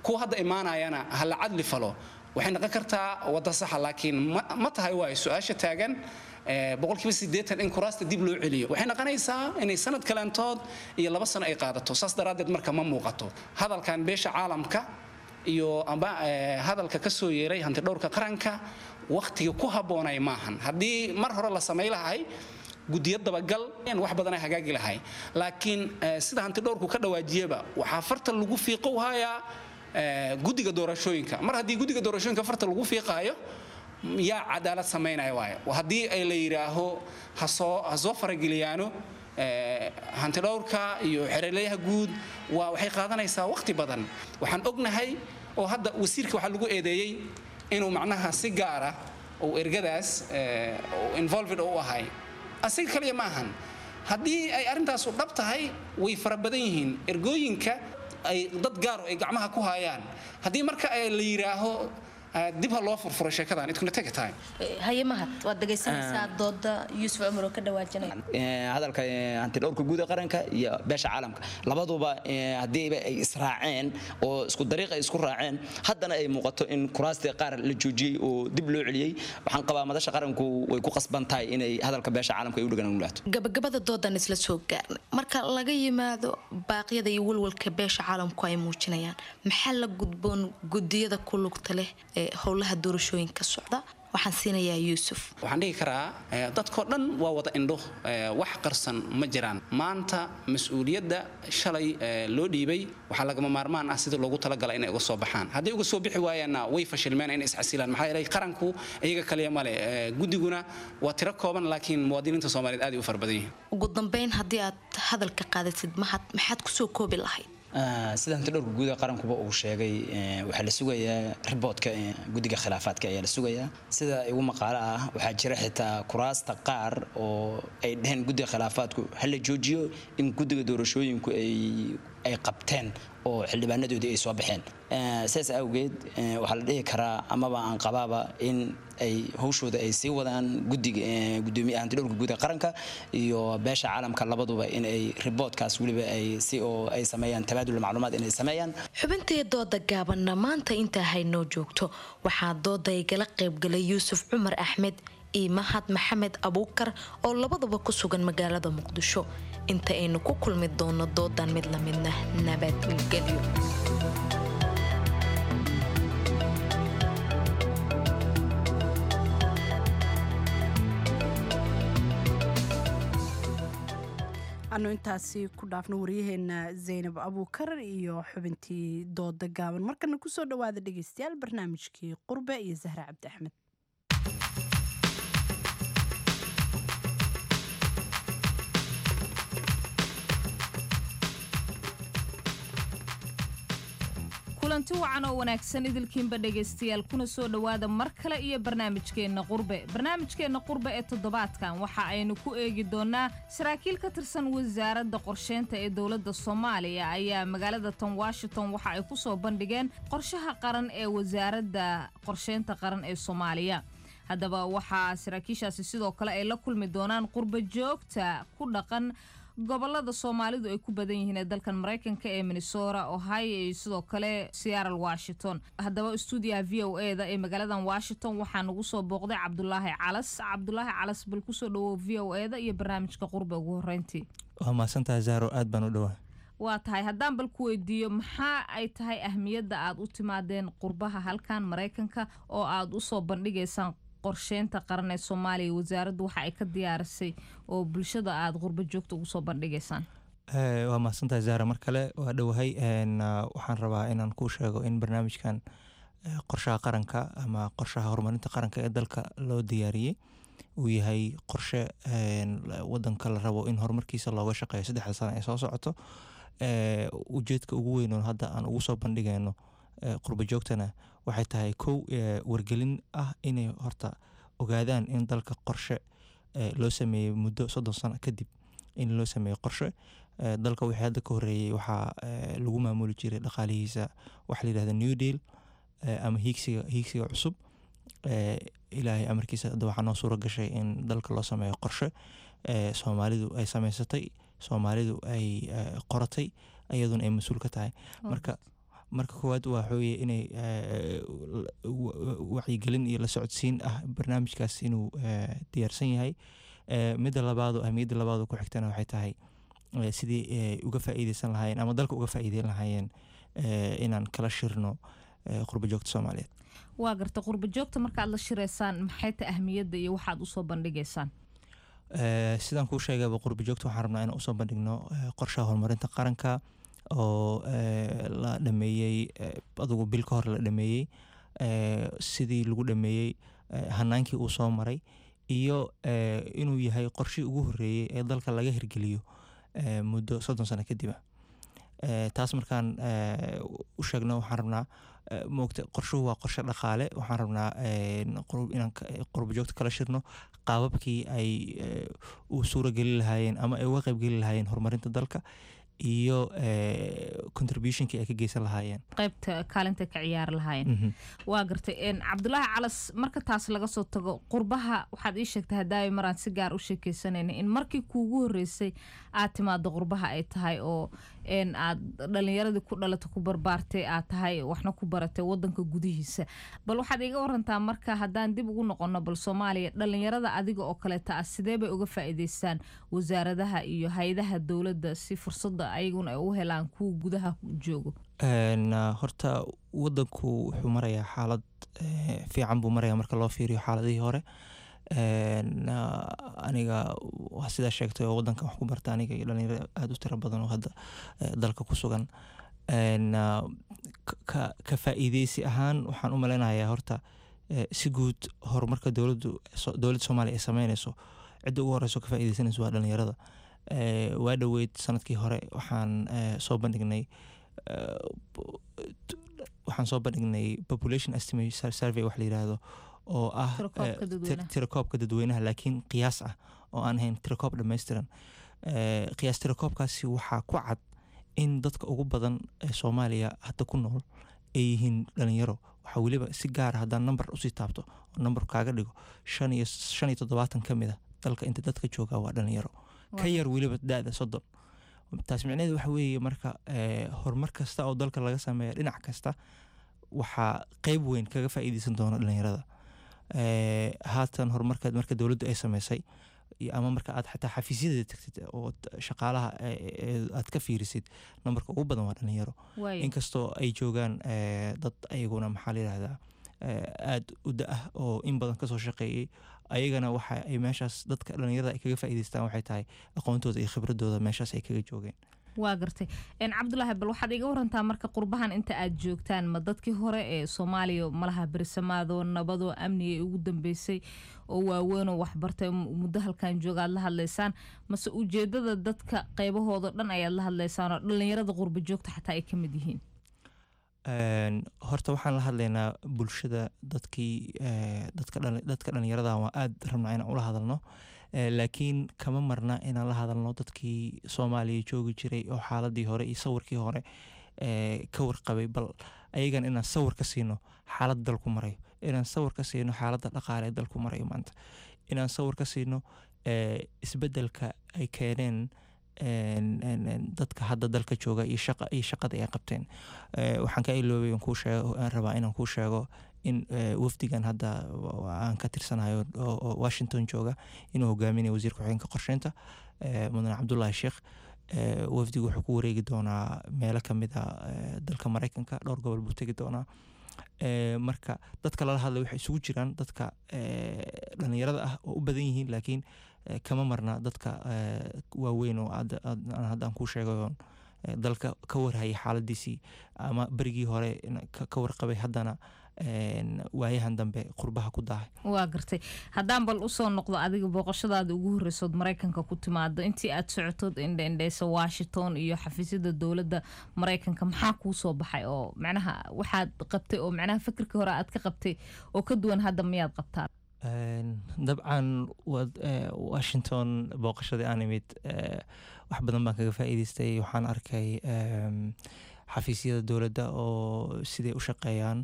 kuwa hadda imaanayana ha la cadli falo, waxay noqon kartaa wadda saxa. Laakiin ma tahay waayo su-aasha taagan boqolkiiba siddeetan in kuraasta dib loo celiyo waxay noqonaysaa inay sanad kaleentood iyo laba sano ay qaadato. Saas daraaddeed marka ma muuqato hadalkan beesha caalamka iyo amba hadalka ka soo yeeray hantidhowrka qaranka wakhtiga ku habboonay maahan. Haddii mar hore la samay lahay guddiyo dabagal wax badan ay hagaagi lahay, laakiin sida hantidhowrku ka dhawaajiyaba waxaa farta lagu fiiqo hayaa guddiga doorashooyinka. Mar haddii guddiga doorashooyinka farta lagu fiiqaayo, yaa cadaalad samaynaya waayo? Haddii ay la yidhaaho hasoo ha soo farageliyaano hantidhowrka iyo xereleyaha guud, waa waxay qaadanaysaa waqti badan. Waxaan ognahay oo hadda wasiirka waxaa lagu eedeeyey inuu macnaha si gaara uu ergadaas involved u ahay. Asiga kaliya ma ahan. Haddii ay arrintaasu dhab tahay, way fara badan yihiin ergooyinka ay dad gaaro ay gacmaha ku hayaan. Haddii marka la yidhaaho dib ha loo furfuro sheekadan, it gonna take a time. Haye Mahad, waad dhegaysanaysaa dooda Yuusuf Cumar oo ka dhawaajinaya. Hadalka hantidhowrka guud ee qaranka iyo beesha caalamka labaduba haddiiba ay israaceen oo isku dariiq ay isku raaceen, haddana ay muuqato in kuraastii qaar la joojiyey oo dib loo celiyey, waxaan qabaa madasha qaranku way ku qasban tahay inay hadalka beesha caalamka ay u dhagan nugulaato. Gabagabada doodan isla soo gaarnay. Marka laga yimaado baaqyada iyo walwalka beesha caalamku ay muujinayaan, maxaa la gudboon gudiyada ku lugta leh ee howlaha doorashooyinka socda? Waxaan siinayaa Yuusuf. Waxaan dhihi karaa dadkoo dhan waa wada indho, wax qarsan ma jiraan. Maanta mas-uuliyadda shalay loo dhiibay waxaa lagama maarmaan ah sida loogu talagalay inay uga soo baxaan. Hadday uga soo bixi waayaanna way fashilmeen, inay isxasilaan, maxaa yeelay qaranku iyaga kaliya male. Guddiguna waa tiro kooban, laakiin muwaadiniinta Soomaaliyeed aad ay u fara badan yihiin. Ugu dambeyn, haddii aad hadalka qaadatid Mahad, maxaad kusoo koobi lahayd? Sida hantidhowrka guud ee qarankuba uu sheegay, waxaa la sugayaa riboodka guddiga khilaafaadka ayaa la sugayaa. Sida igu maqaalo ah, waxaa jira xitaa kuraasta qaar oo ay dheheen guddiga khilaafaadku ha la joojiyo in guddiga doorashooyinku ay ay qabteen oo xildhibaanadoodii ay soo baxeen. Sidaas awgeed waxaa la dhihi karaa amaba aan qabaaba in ay hawshooda ay sii wadaan guddiga gudoomiyaha hantidhowrka guud ee qaranka iyo beesha caalamka labaduba in ay riboodkaas weliba ay si oo ay sameeyaan tabaadul macluumaad inay sameeyaan. Xubintii dooda gaabanna maanta intaa haynoo joogto. Waxaa dooda igala qaybgalay Yuusuf Cumar Axmed iyo Mahad Maxamed Abuukar oo labadaba ku sugan magaalada Muqdisho. Inta aynu ku kulmi doono doodan mid la midna, nabadgelyo. Anu intaasi ku dhaafno waryaheena Zaynab Abuukar iyo xubintii dooda gaaban. Markana kusoo dhawaada dhegeystayaal barnaamijkii Qurbe iyo Zahra Cabdi Axmed. Kulanti wacan oo wanaagsan idilkiinba dhegaystayaal, kuna soo dhowaada mar kale iyo barnaamijkeenna Qurbe. Barnaamijkeenna Qurbe ee toddobaadkan waxa aynu ku eegi doonnaa saraakiil ka tirsan wasaaradda qorsheynta ee dowladda Soomaaliya ayaa magaalada tan Washington waxa ay ku soo bandhigeen qorshaha qaran ee wasaaradda qorsheynta qaran ee Soomaaliya. Haddaba waxaa saraakiishaasi sidoo kale ay la kulmi doonaan qurba joogta ku dhaqan gobolada Soomaalidu ay ku badan yihiin ee dalkan Maraykanka ee Minnesota, Ohio iyo sidoo kale Seattle, Washington. Haddaba stuudiyaha V O A da ee magaaladan Washington waxaa nagu soo booqday Cabdulaahi Calas. Cabdulaahi Calas, bal kusoo dhawow V O A da iyo barnaamijka Qurbe ugu horeyntii. Waa mahadsantahay Zahro, aad baan u dhowaa. Waa tahay, haddaan bal ku weydiiyo, maxaa ay tahay ahmiyadda aad u timaadeen qurbaha halkan Maraykanka oo aad usoo bandhigaysaan qorsheynta qaran ee Soomaaliya, wasaaraddu waxa ay ka diyaarisay oo bulshada aad qurba joogta ugu soo bandhigaysaan? Waa mahadsantahay Zahra, mar kale waa dhowahay. Waxaan rabaa inaan kuu sheego in barnaamijkan qorshaha qaranka ama qorshaha horumarinta qaranka ee dalka loo diyaariyey uu yahay qorshe wadanka la rabo in horumarkiisa looga shaqeeyo saddexda sano ee soo socoto. Ujeedka ugu weyn oo hadda aan ugu soo bandhigayno qurba joogtana waxay tahay kow, wargelin ah inay horta ogaadaan in dalka qorshe loo sameeyey muddo soddon sano kadib, in loo sameeyo qorshe. Dalka wixii hadda ka horreeyey waxaa lagu maamuli jiray dhaqaalihiisa waxa la yidhahda New Deal ama hiigsiga hiigsiga cusub. Ilaahay amarkiisa hadda waxaa noo suura gashay in dalka loo sameeyo qorshe Soomaalidu ay sameysatay, Soomaalidu ay qoratay, iyaduna ay mas-uul ka tahay. Marka marka koowaad waa waxaweye inay wacyigelin iyo la socodsiin ah barnaamijkaas inuu diyaarsan yahay. Midda labaado, ahmiyadda labaado ku xigtana waxay tahay sidii uga faa'iideysan lahaayeen ama dalka uga faa'iideyn lahaayeen inaan kala shirno qurba joogta Soomaaliyeed. Waa garta, qurba joogta markaad la shireysaan maxay tahay ahmiyadda iyo waxaad usoo bandhigaysaan? Sidaan kuu sheegayba, qurba joogta waxaan rabnaa inaan usoo bandhigno qorshaha horumarinta qaranka oo la dhameeyey, adugu bil ka hor la dhameeyey, sidii lagu dhameeyey, hanaankii uu soo maray, iyo inuu yahay qorshihii ugu horreeyey ee dalka laga hirgeliyo muddo soddon sano kadib ah. Taas markaan u sheegno, waxaan rabnaa, moogta, qorshuhu waa qorshe dhaqaale. Waxaan rabnaa inaan qurba joogta kala shirno qaababkii ay u suura gelin lahaayeen ama ay uga qaybgeli lahaayeen horumarinta dalka iyo contributionkii ay ka geysan lahaayeen. Qaybta kaalinta ka ciyaari lahaayeen. Waa gartay, Cabdulaahi Calas. Marka taas laga soo tago, qurbaha waxaad ii sheegtay hadaayo maraan si gaar u sheekeysanayna in markii kuugu horreysay aad timaado qurbaha ay tahay oo aad dhalinyaradii ku dhalata, ku barbaartay aad tahay, waxna ku baratay wadanka gudihiisa. Bal waxaad iiga warantaa marka haddaan dib ugu noqono bal Soomaaliya, dhalinyarada adiga oo kaleeta ah sidee bay uga faa'iideystaan wasaaradaha iyo hay-adaha dowladda si fursadda ayaguna ay u helaan kuwa gudaha joogo? Horta wadanku wuxuu marayaa xaalad fiican buu marayaa marka loo fiiriyo xaaladihii hore. Aniga waa sidaa sheegtay oo wadankan wax ku barta, aniga iyo dhalinyaro aada u tiro badan oo hadda dalka ku sugan. Ka ka faa'iideysi ahaan waxaan u maleynayaa horta si guud horumarka dowladdu dowladda Soomaaliya ay sameyneyso, cidda ugu horeyso ka faa'iideysanayso waa dhalinyarada. Waa dhoweyd sanadkii hore waxaan soo bandhignay waxaan soo bandhignay population estimate survey wax la yiraahdo oo ah tirakoobka dadweynaha, laakiin qiyaas ah oo aan ahayn tirakoob dhammaystiran. Qiyaas tirakoobkaasi waxaa ku cad in dadka ugu badan ee Soomaaliya hadda ku nool ay yihiin dhalinyaro. Waxaa weliba si gaara haddaan number usii taabto oo number kaaga dhigo, shan iyo shan iyo toddobaatan ka mid a dalka inta dadka joogaa waa dhalinyaro ka yar weliba da-da soddon. Taas micnaheedu waxa weeye marka horumar kasta oo dalka laga sameeya dhinac kasta waxaa qeyb weyn kaga faa'iideysan doona dhalinyarada. Haatan horumarka marka dowladdu ay sameysay ama marka aad xataa xafiisyada tagtid oo shaqaalaha aad ka fiirisid, nambarka ugu badan waa dhalinyaro, inkastoo ay joogaan dad ayaguna, maxaa la yidhahdaa, aada u da-ah oo in badan kasoo shaqeeyey. Ayagana waxa ay meeshaas dadka dhalinyarada ay kaga faa'iideystaan waxay tahay aqoontooda iyo khibradooda meeshaas ay kaga joogeen. Waa gartay, Cabdulaahi. Bal waxaad iga warantaa marka qurbahan inta aad joogtaan, ma dadkii hore ee Soomaaliya malaha berisamaado nabadoo amniga ugu dambeysay oo waaweynoo waxbartay muddo halkan jooga aad la hadlaysaan, mase ujeedada dadka qaybahooda dhan ayaad la hadlaysaan oo dhalinyarada qurba joogta xataa ay ka mid yihiin? Horta waxaan la hadlaynaa bulshada, dadkii dadka dadka dhalinyarada waa aada rabnaa inaan ula hadalno, laakiin kama marna inaan la hadalno dadkii Soomaaliya joogi jiray oo xaaladii hore iyo sawirkii hore ka warqabay, bal ayagan inaan sawir ka siino xaalad dalku marayo Inaan sawir ka siino xaaladda dhaqaale ee dalku marayo maanta, inaan sawir ka siino isbedelka ay keeneen dadka hadda dalka jooga iyo shaqa iyo shaqada ay qabteen. Waxaan ka iloobay aan kuu sheego, aan rabaa inaan kuu sheego in wafdigan hadda aan ka tirsanayo oo Washington jooga inuu hogaaminayo wasiir ku-xigeenka qorsheynta, mudane Cabdullaahi Sheekh. Wafdigu wuxuu ku wareegi doonaa meelo kamid a dalka Mareykanka, dhowr gobol buu tegi doonaa. Marka dadka lala hadlay waxay isugu jiraan dadka dhalinyarada ah oo u badan yihiin, laakiin kama marna dadka waaweyn oo hadda aan kuu sheegay oon dalka ka warhayay xaaladiisii ama berigii hore ka warqabay, haddana waayahan dambe qurbaha ku daahay. Waa gartay. Haddaan bal usoo noqdo adiga, booqashadaada ugu horreysood Maraykanka ku timaado, intii aad socotood indha indheysa Washington iyo xafiisyada dowladda Maraykanka, maxaa kuu soo baxay oo macnaha waxaad qabtay oo macnaha fikirkii hore aad ka qabtay oo ka duwan hadda miyaad qabtaa? Dabcan, Washington booqashadii aan imid wax badan baan kaga faa'iideystay. Waxaan arkay xafiisyada dowladda oo siday u shaqeeyaan.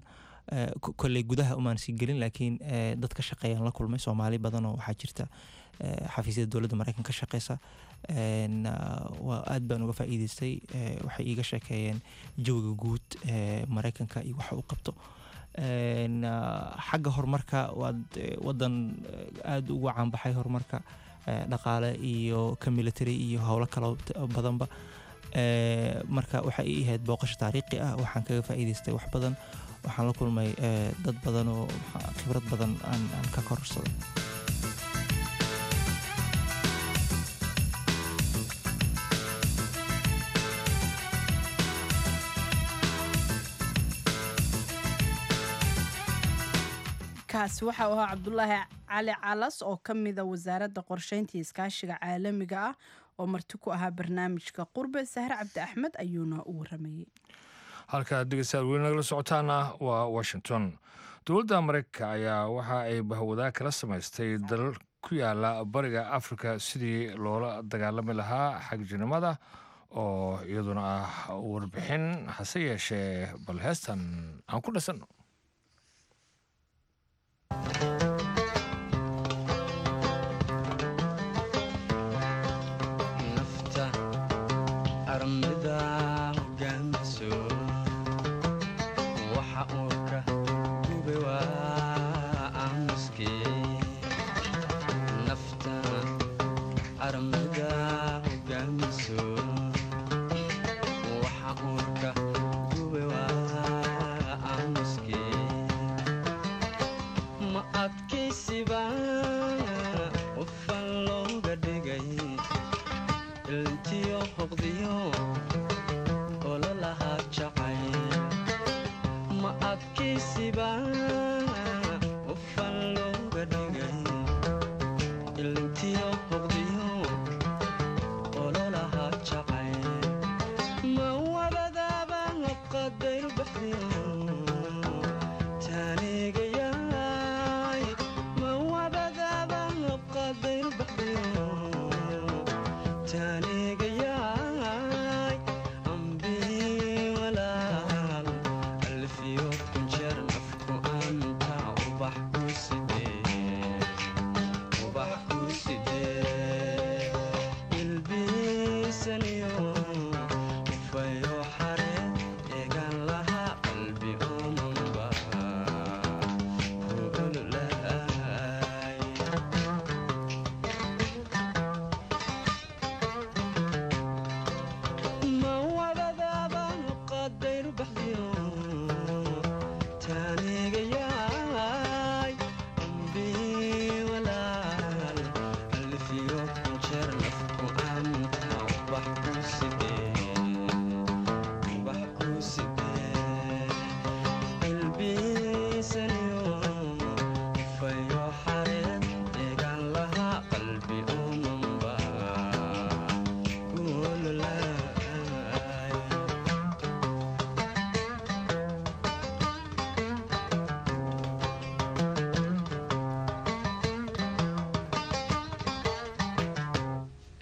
Kolley gudaha umaan sii gelin, laakiin dad ka shaqeeyaan la kulmay. Soomaali badan oo waxaa jirta xafiisyada dowladda Mareykanka ka shaqeysa. Waa aad baan uga faa'iideystay. Waxay iiga sheekeeyeen jawiga guud ee Mareykanka iyo waxa uu qabto xagga horumarka. Waad wadan aada ugu caanbaxay horumarka dhaqaale iyo ka military iyo howlo kalo badanba. Marka waxay ii ahayd booqasho taariikhi ah. Waxaan kaga faa'iideystay wax badan. Waxaan la kulmay dad badan oo khibrad badan aan aan ka kororsaday. Kaasi waxa uu ahaa Cabdulaahi Cali Calas oo ka mida Wasaaradda Qorsheynta iyo Iskaashiga Caalamiga ah oo marti ku ahaa barnaamijka Qurbe. Sahre Cabdi Axmed ayuuna u waramayey. Halkaad dhegeystayaal weli nagala socotaana waa Washington. Dowladda Mareykanka ayaa waxa ay bahwadaa kala samaystay dalal ku yaala bariga Afrika sidii loola dagaalami lahaa xagjirnimada, oo iyaduna ah warbixin. Hase yeeshee bal heestan aan ku dhasanno. Nafta armida hogaamiso, waxa uurka gube waa aamuskee. Nafta armida hogaamiso, waxa uurka gube waa aamuskee. Ma adkaysiba qofan looga dhigay ilntiyo hoqdiyo ololaha jacay? Ma adkaysiba qofan looga dhigay ilintiyo hoqdiyo ololaha jacay? Ma wabadaaba qadayr baxdiyo taanigayaay? Ma wabadaaba qadayr baxdiyo taanigayaay? Ambii walaal alfiyo kunjeer nafku anta ubax ku sidee, ubax ku sidee, ilbiisaniyo ufayo xare eegan laha qalbi omanba ku ololaay. Ma wabadaaba qadayr baxdiyo taanigayaay? Ambii walaal alfiyo kunjeer nafku anta ubax ku sidee, ubax ku sidee, ilbiisaniyo ufayo xareed eegan laha qalbi omanba ku ololaay.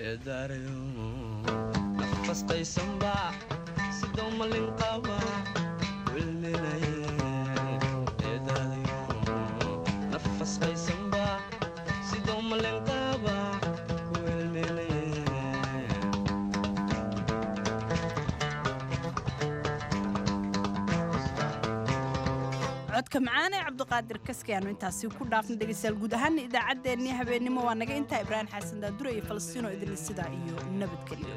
Eedaarayo nafasqaysanba sidoo malin qaba wilminaye. Eedaadayo Codka macaan ee Cabdiqaadir Kaski aanu intaasi ku dhaafna dhegeystayaal. Guud ahaana idaacaddeenii habeennimo waa naga intaa. Ibraahim Xasan Daadure iyo Falastiino idinle sidaa iyo nabadgelyo.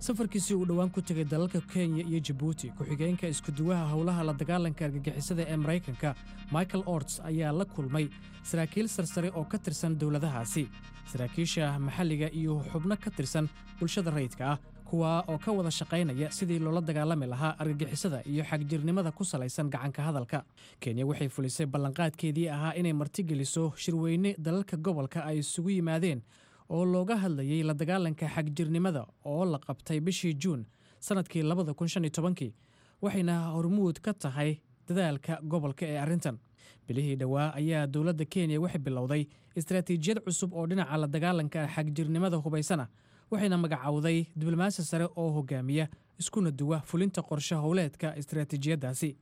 Safarkiisii uu dhowaan ku tegay dalalka Kenya iyo Jabuuti, ku-xigeenka iskuduwaha howlaha la dagaalanka argagixisada ee Maraykanka Michael Orts ayaa la kulmay saraakiil sarsare oo ka tirsan dowladahaasi, saraakiisha maxalliga iyo xubno ka tirsan bulshada rayidka ah, kuwaa oo ka wada shaqaynaya sidii loola dagaalami lahaa argagixisada iyo xagjirnimada ku salaysan gacanka hadalka. Kenya waxay fulisay ballanqaadkeedii ahaa inay martigeliso shirweyne dalalka gobolka ay isugu yimaadeen oo looga hadlayay la dagaalanka xagjirnimada oo la qabtay bishii Juun sannadkii labada kun shan iyo tobankii, waxayna hormuud ka tahay dadaalka gobolka ee arrintan. Bilihii dhowaa ayaa dowladda Kenya waxay bilowday istaraatiijiyad cusub oo dhinaca la dagaalanka xagjirnimada hubaysana, waxayna magacowday diblomaasi sare oo hogaamiya iskuna duwa fulinta qorshe howleedka istaraatiijiyaddaasi.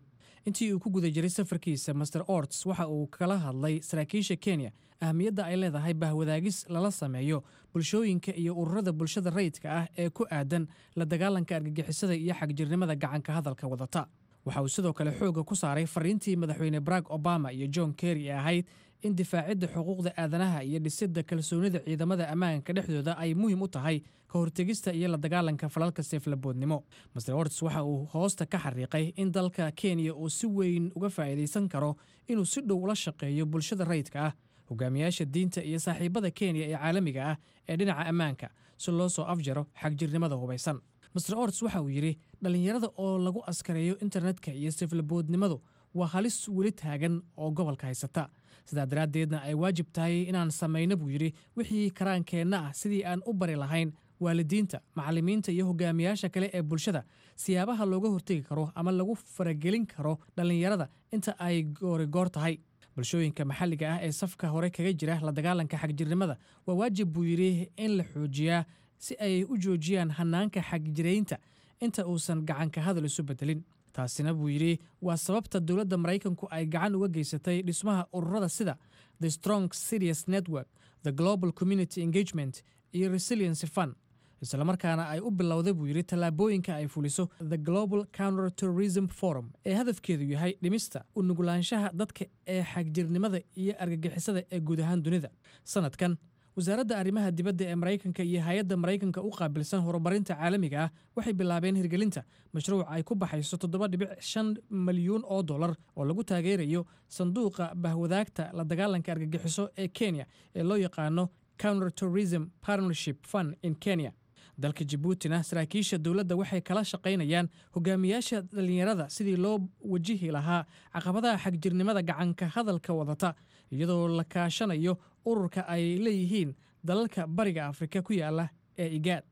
Intii uu ku guda jiray safarkiisa, Master Orts waxa uu kala hadlay saraakiisha Kenya ahmiyadda ay leedahay bahwadaagis lala sameeyo bulshooyinka iyo ururada bulshada rayidka ah ee ku aadan la dagaalanka argagixisada iyo xagjirnimada gacanka hadalka wadata. Waxa uu sidoo kale xoogga ku saaray fariintii Madaxweyne Barack Obama iyo John Kerry ee ahayd in difaacidda xuquuqda aadanaha iyo dhisidda kalsoonida ciidamada ammaanka dhexdooda ay muhiim u tahay ka hortegista iyo la dagaalanka falalka seeflaboodnimo. Master Orts waxa uu hoosta ka xariiqay in dalka Kenya uu si weyn uga faa'iidaysan karo inuu si dhow ula shaqeeyo bulshada rayidka ah, hogaamiyaasha diinta iyo saaxiibada Kenya ee caalamiga ah ee dhinaca ammaanka si loo soo afjaro xagjirnimada hubaysan. Master Orts waxa uu yidhi dhallinyarada oo lagu askareeyo internetka iyo seeflaboodnimadu waa halis weli taagan oo gobolka haysata, sidaa daraaddeedna ay waajib tahay inaan samayno, buu yidhi, wixii karaankeenna ah sidii aan u bari lahayn waalidiinta, macallimiinta iyo hogaamiyaasha kale ee bulshada siyaabaha looga hortegi karo ama lagu faragelin karo dhallinyarada inta ay goorigoor tahay. Bulshooyinka maxalliga ah ee safka hore kaga jira la dagaalanka xagjirnimada waa waajib, buu yidhi, in la xoojiyaa si ay u joojiyaan hanaanka xagjiraynta inta uusan gacanka hadal isu bedelin. Taasina, buu yidhi, waa sababta dowladda Maraykanku ay gacan uga geysatay dhismaha ururada sida The Strong Cities Network, the Global Community Engagement iyo Resiliency Fund, islamarkaana ay u bilowday, buu yidhi, tallaabooyinka ay fuliso the Global Counter Terrorism Forum ee hadafkeedu yahay dhimista u nugulaanshaha dadka ee xagjirnimada iyo argagixisada ee guud ahaan dunida. Sanadkan wasaaradda arrimaha dibadda ee Maraykanka iyo hay-adda Maraykanka u qaabilsan horumarinta caalamiga ah waxay bilaabeen hirgelinta mashruuc ay ku baxayso toddoba dhibic shan malyuun oo dollar oo lagu taageerayo sanduuqa bahwadaagta la dagaalanka argagixiso ee Kenya ee loo yaqaano Counter Terrorism Partnership Fund in Kenya. Dalka Jabuutina saraakiisha dowladda waxay kala shaqaynayaan hogaamiyaasha dhallinyarada sidii loo wajihi lahaa caqabadaha xagjirnimada gacanka hadalka wadata, iyadoo la kaashanayo ururka ay leeyihiin dalalka Bariga Afrika ku yaala ee IGAAD.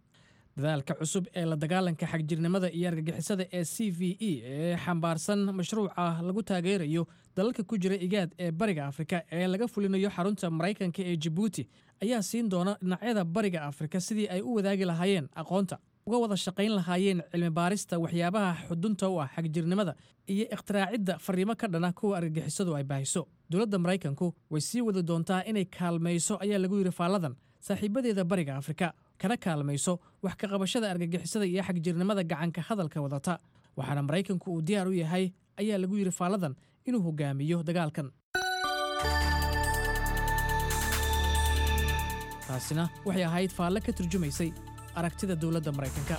Dadaalka cusub ee la dagaalanka xagjirnimada iyo argagixisada ee C V E ee xambaarsan mashruuca lagu taageerayo dalalka ku jira IGAAD ee Bariga Afrika ee laga fulinayo xarunta Maraykanka ee Jabuuti ayaa siin doona dhinacyada Bariga Afrika sidii ay u wadaagi lahaayeen aqoonta, uga wada shaqayn lahaayeen cilmi baarista waxyaabaha xudunta u ah xagjirnimada iyo ikhtiraacida fariimo ka dhana kuwa argagixisadu ay baahiso. Dowladda Maraykanku way sii wadi doontaa inay kaalmayso, ayaa lagu yidhi faalladan, saaxiibadeeda Bariga Afrika, kana kaalmayso wax ka qabashada argagixisada iyo xagjirnimada gacanka hadalka wadata, waxaana Maraykanku uu diyaar u yahay, ayaa lagu yidhi faalladan, inuu hogaamiyo dagaalkan. Taasina waxay ahayd faalle ka turjumaysay aragtida dowladda Maraykanka.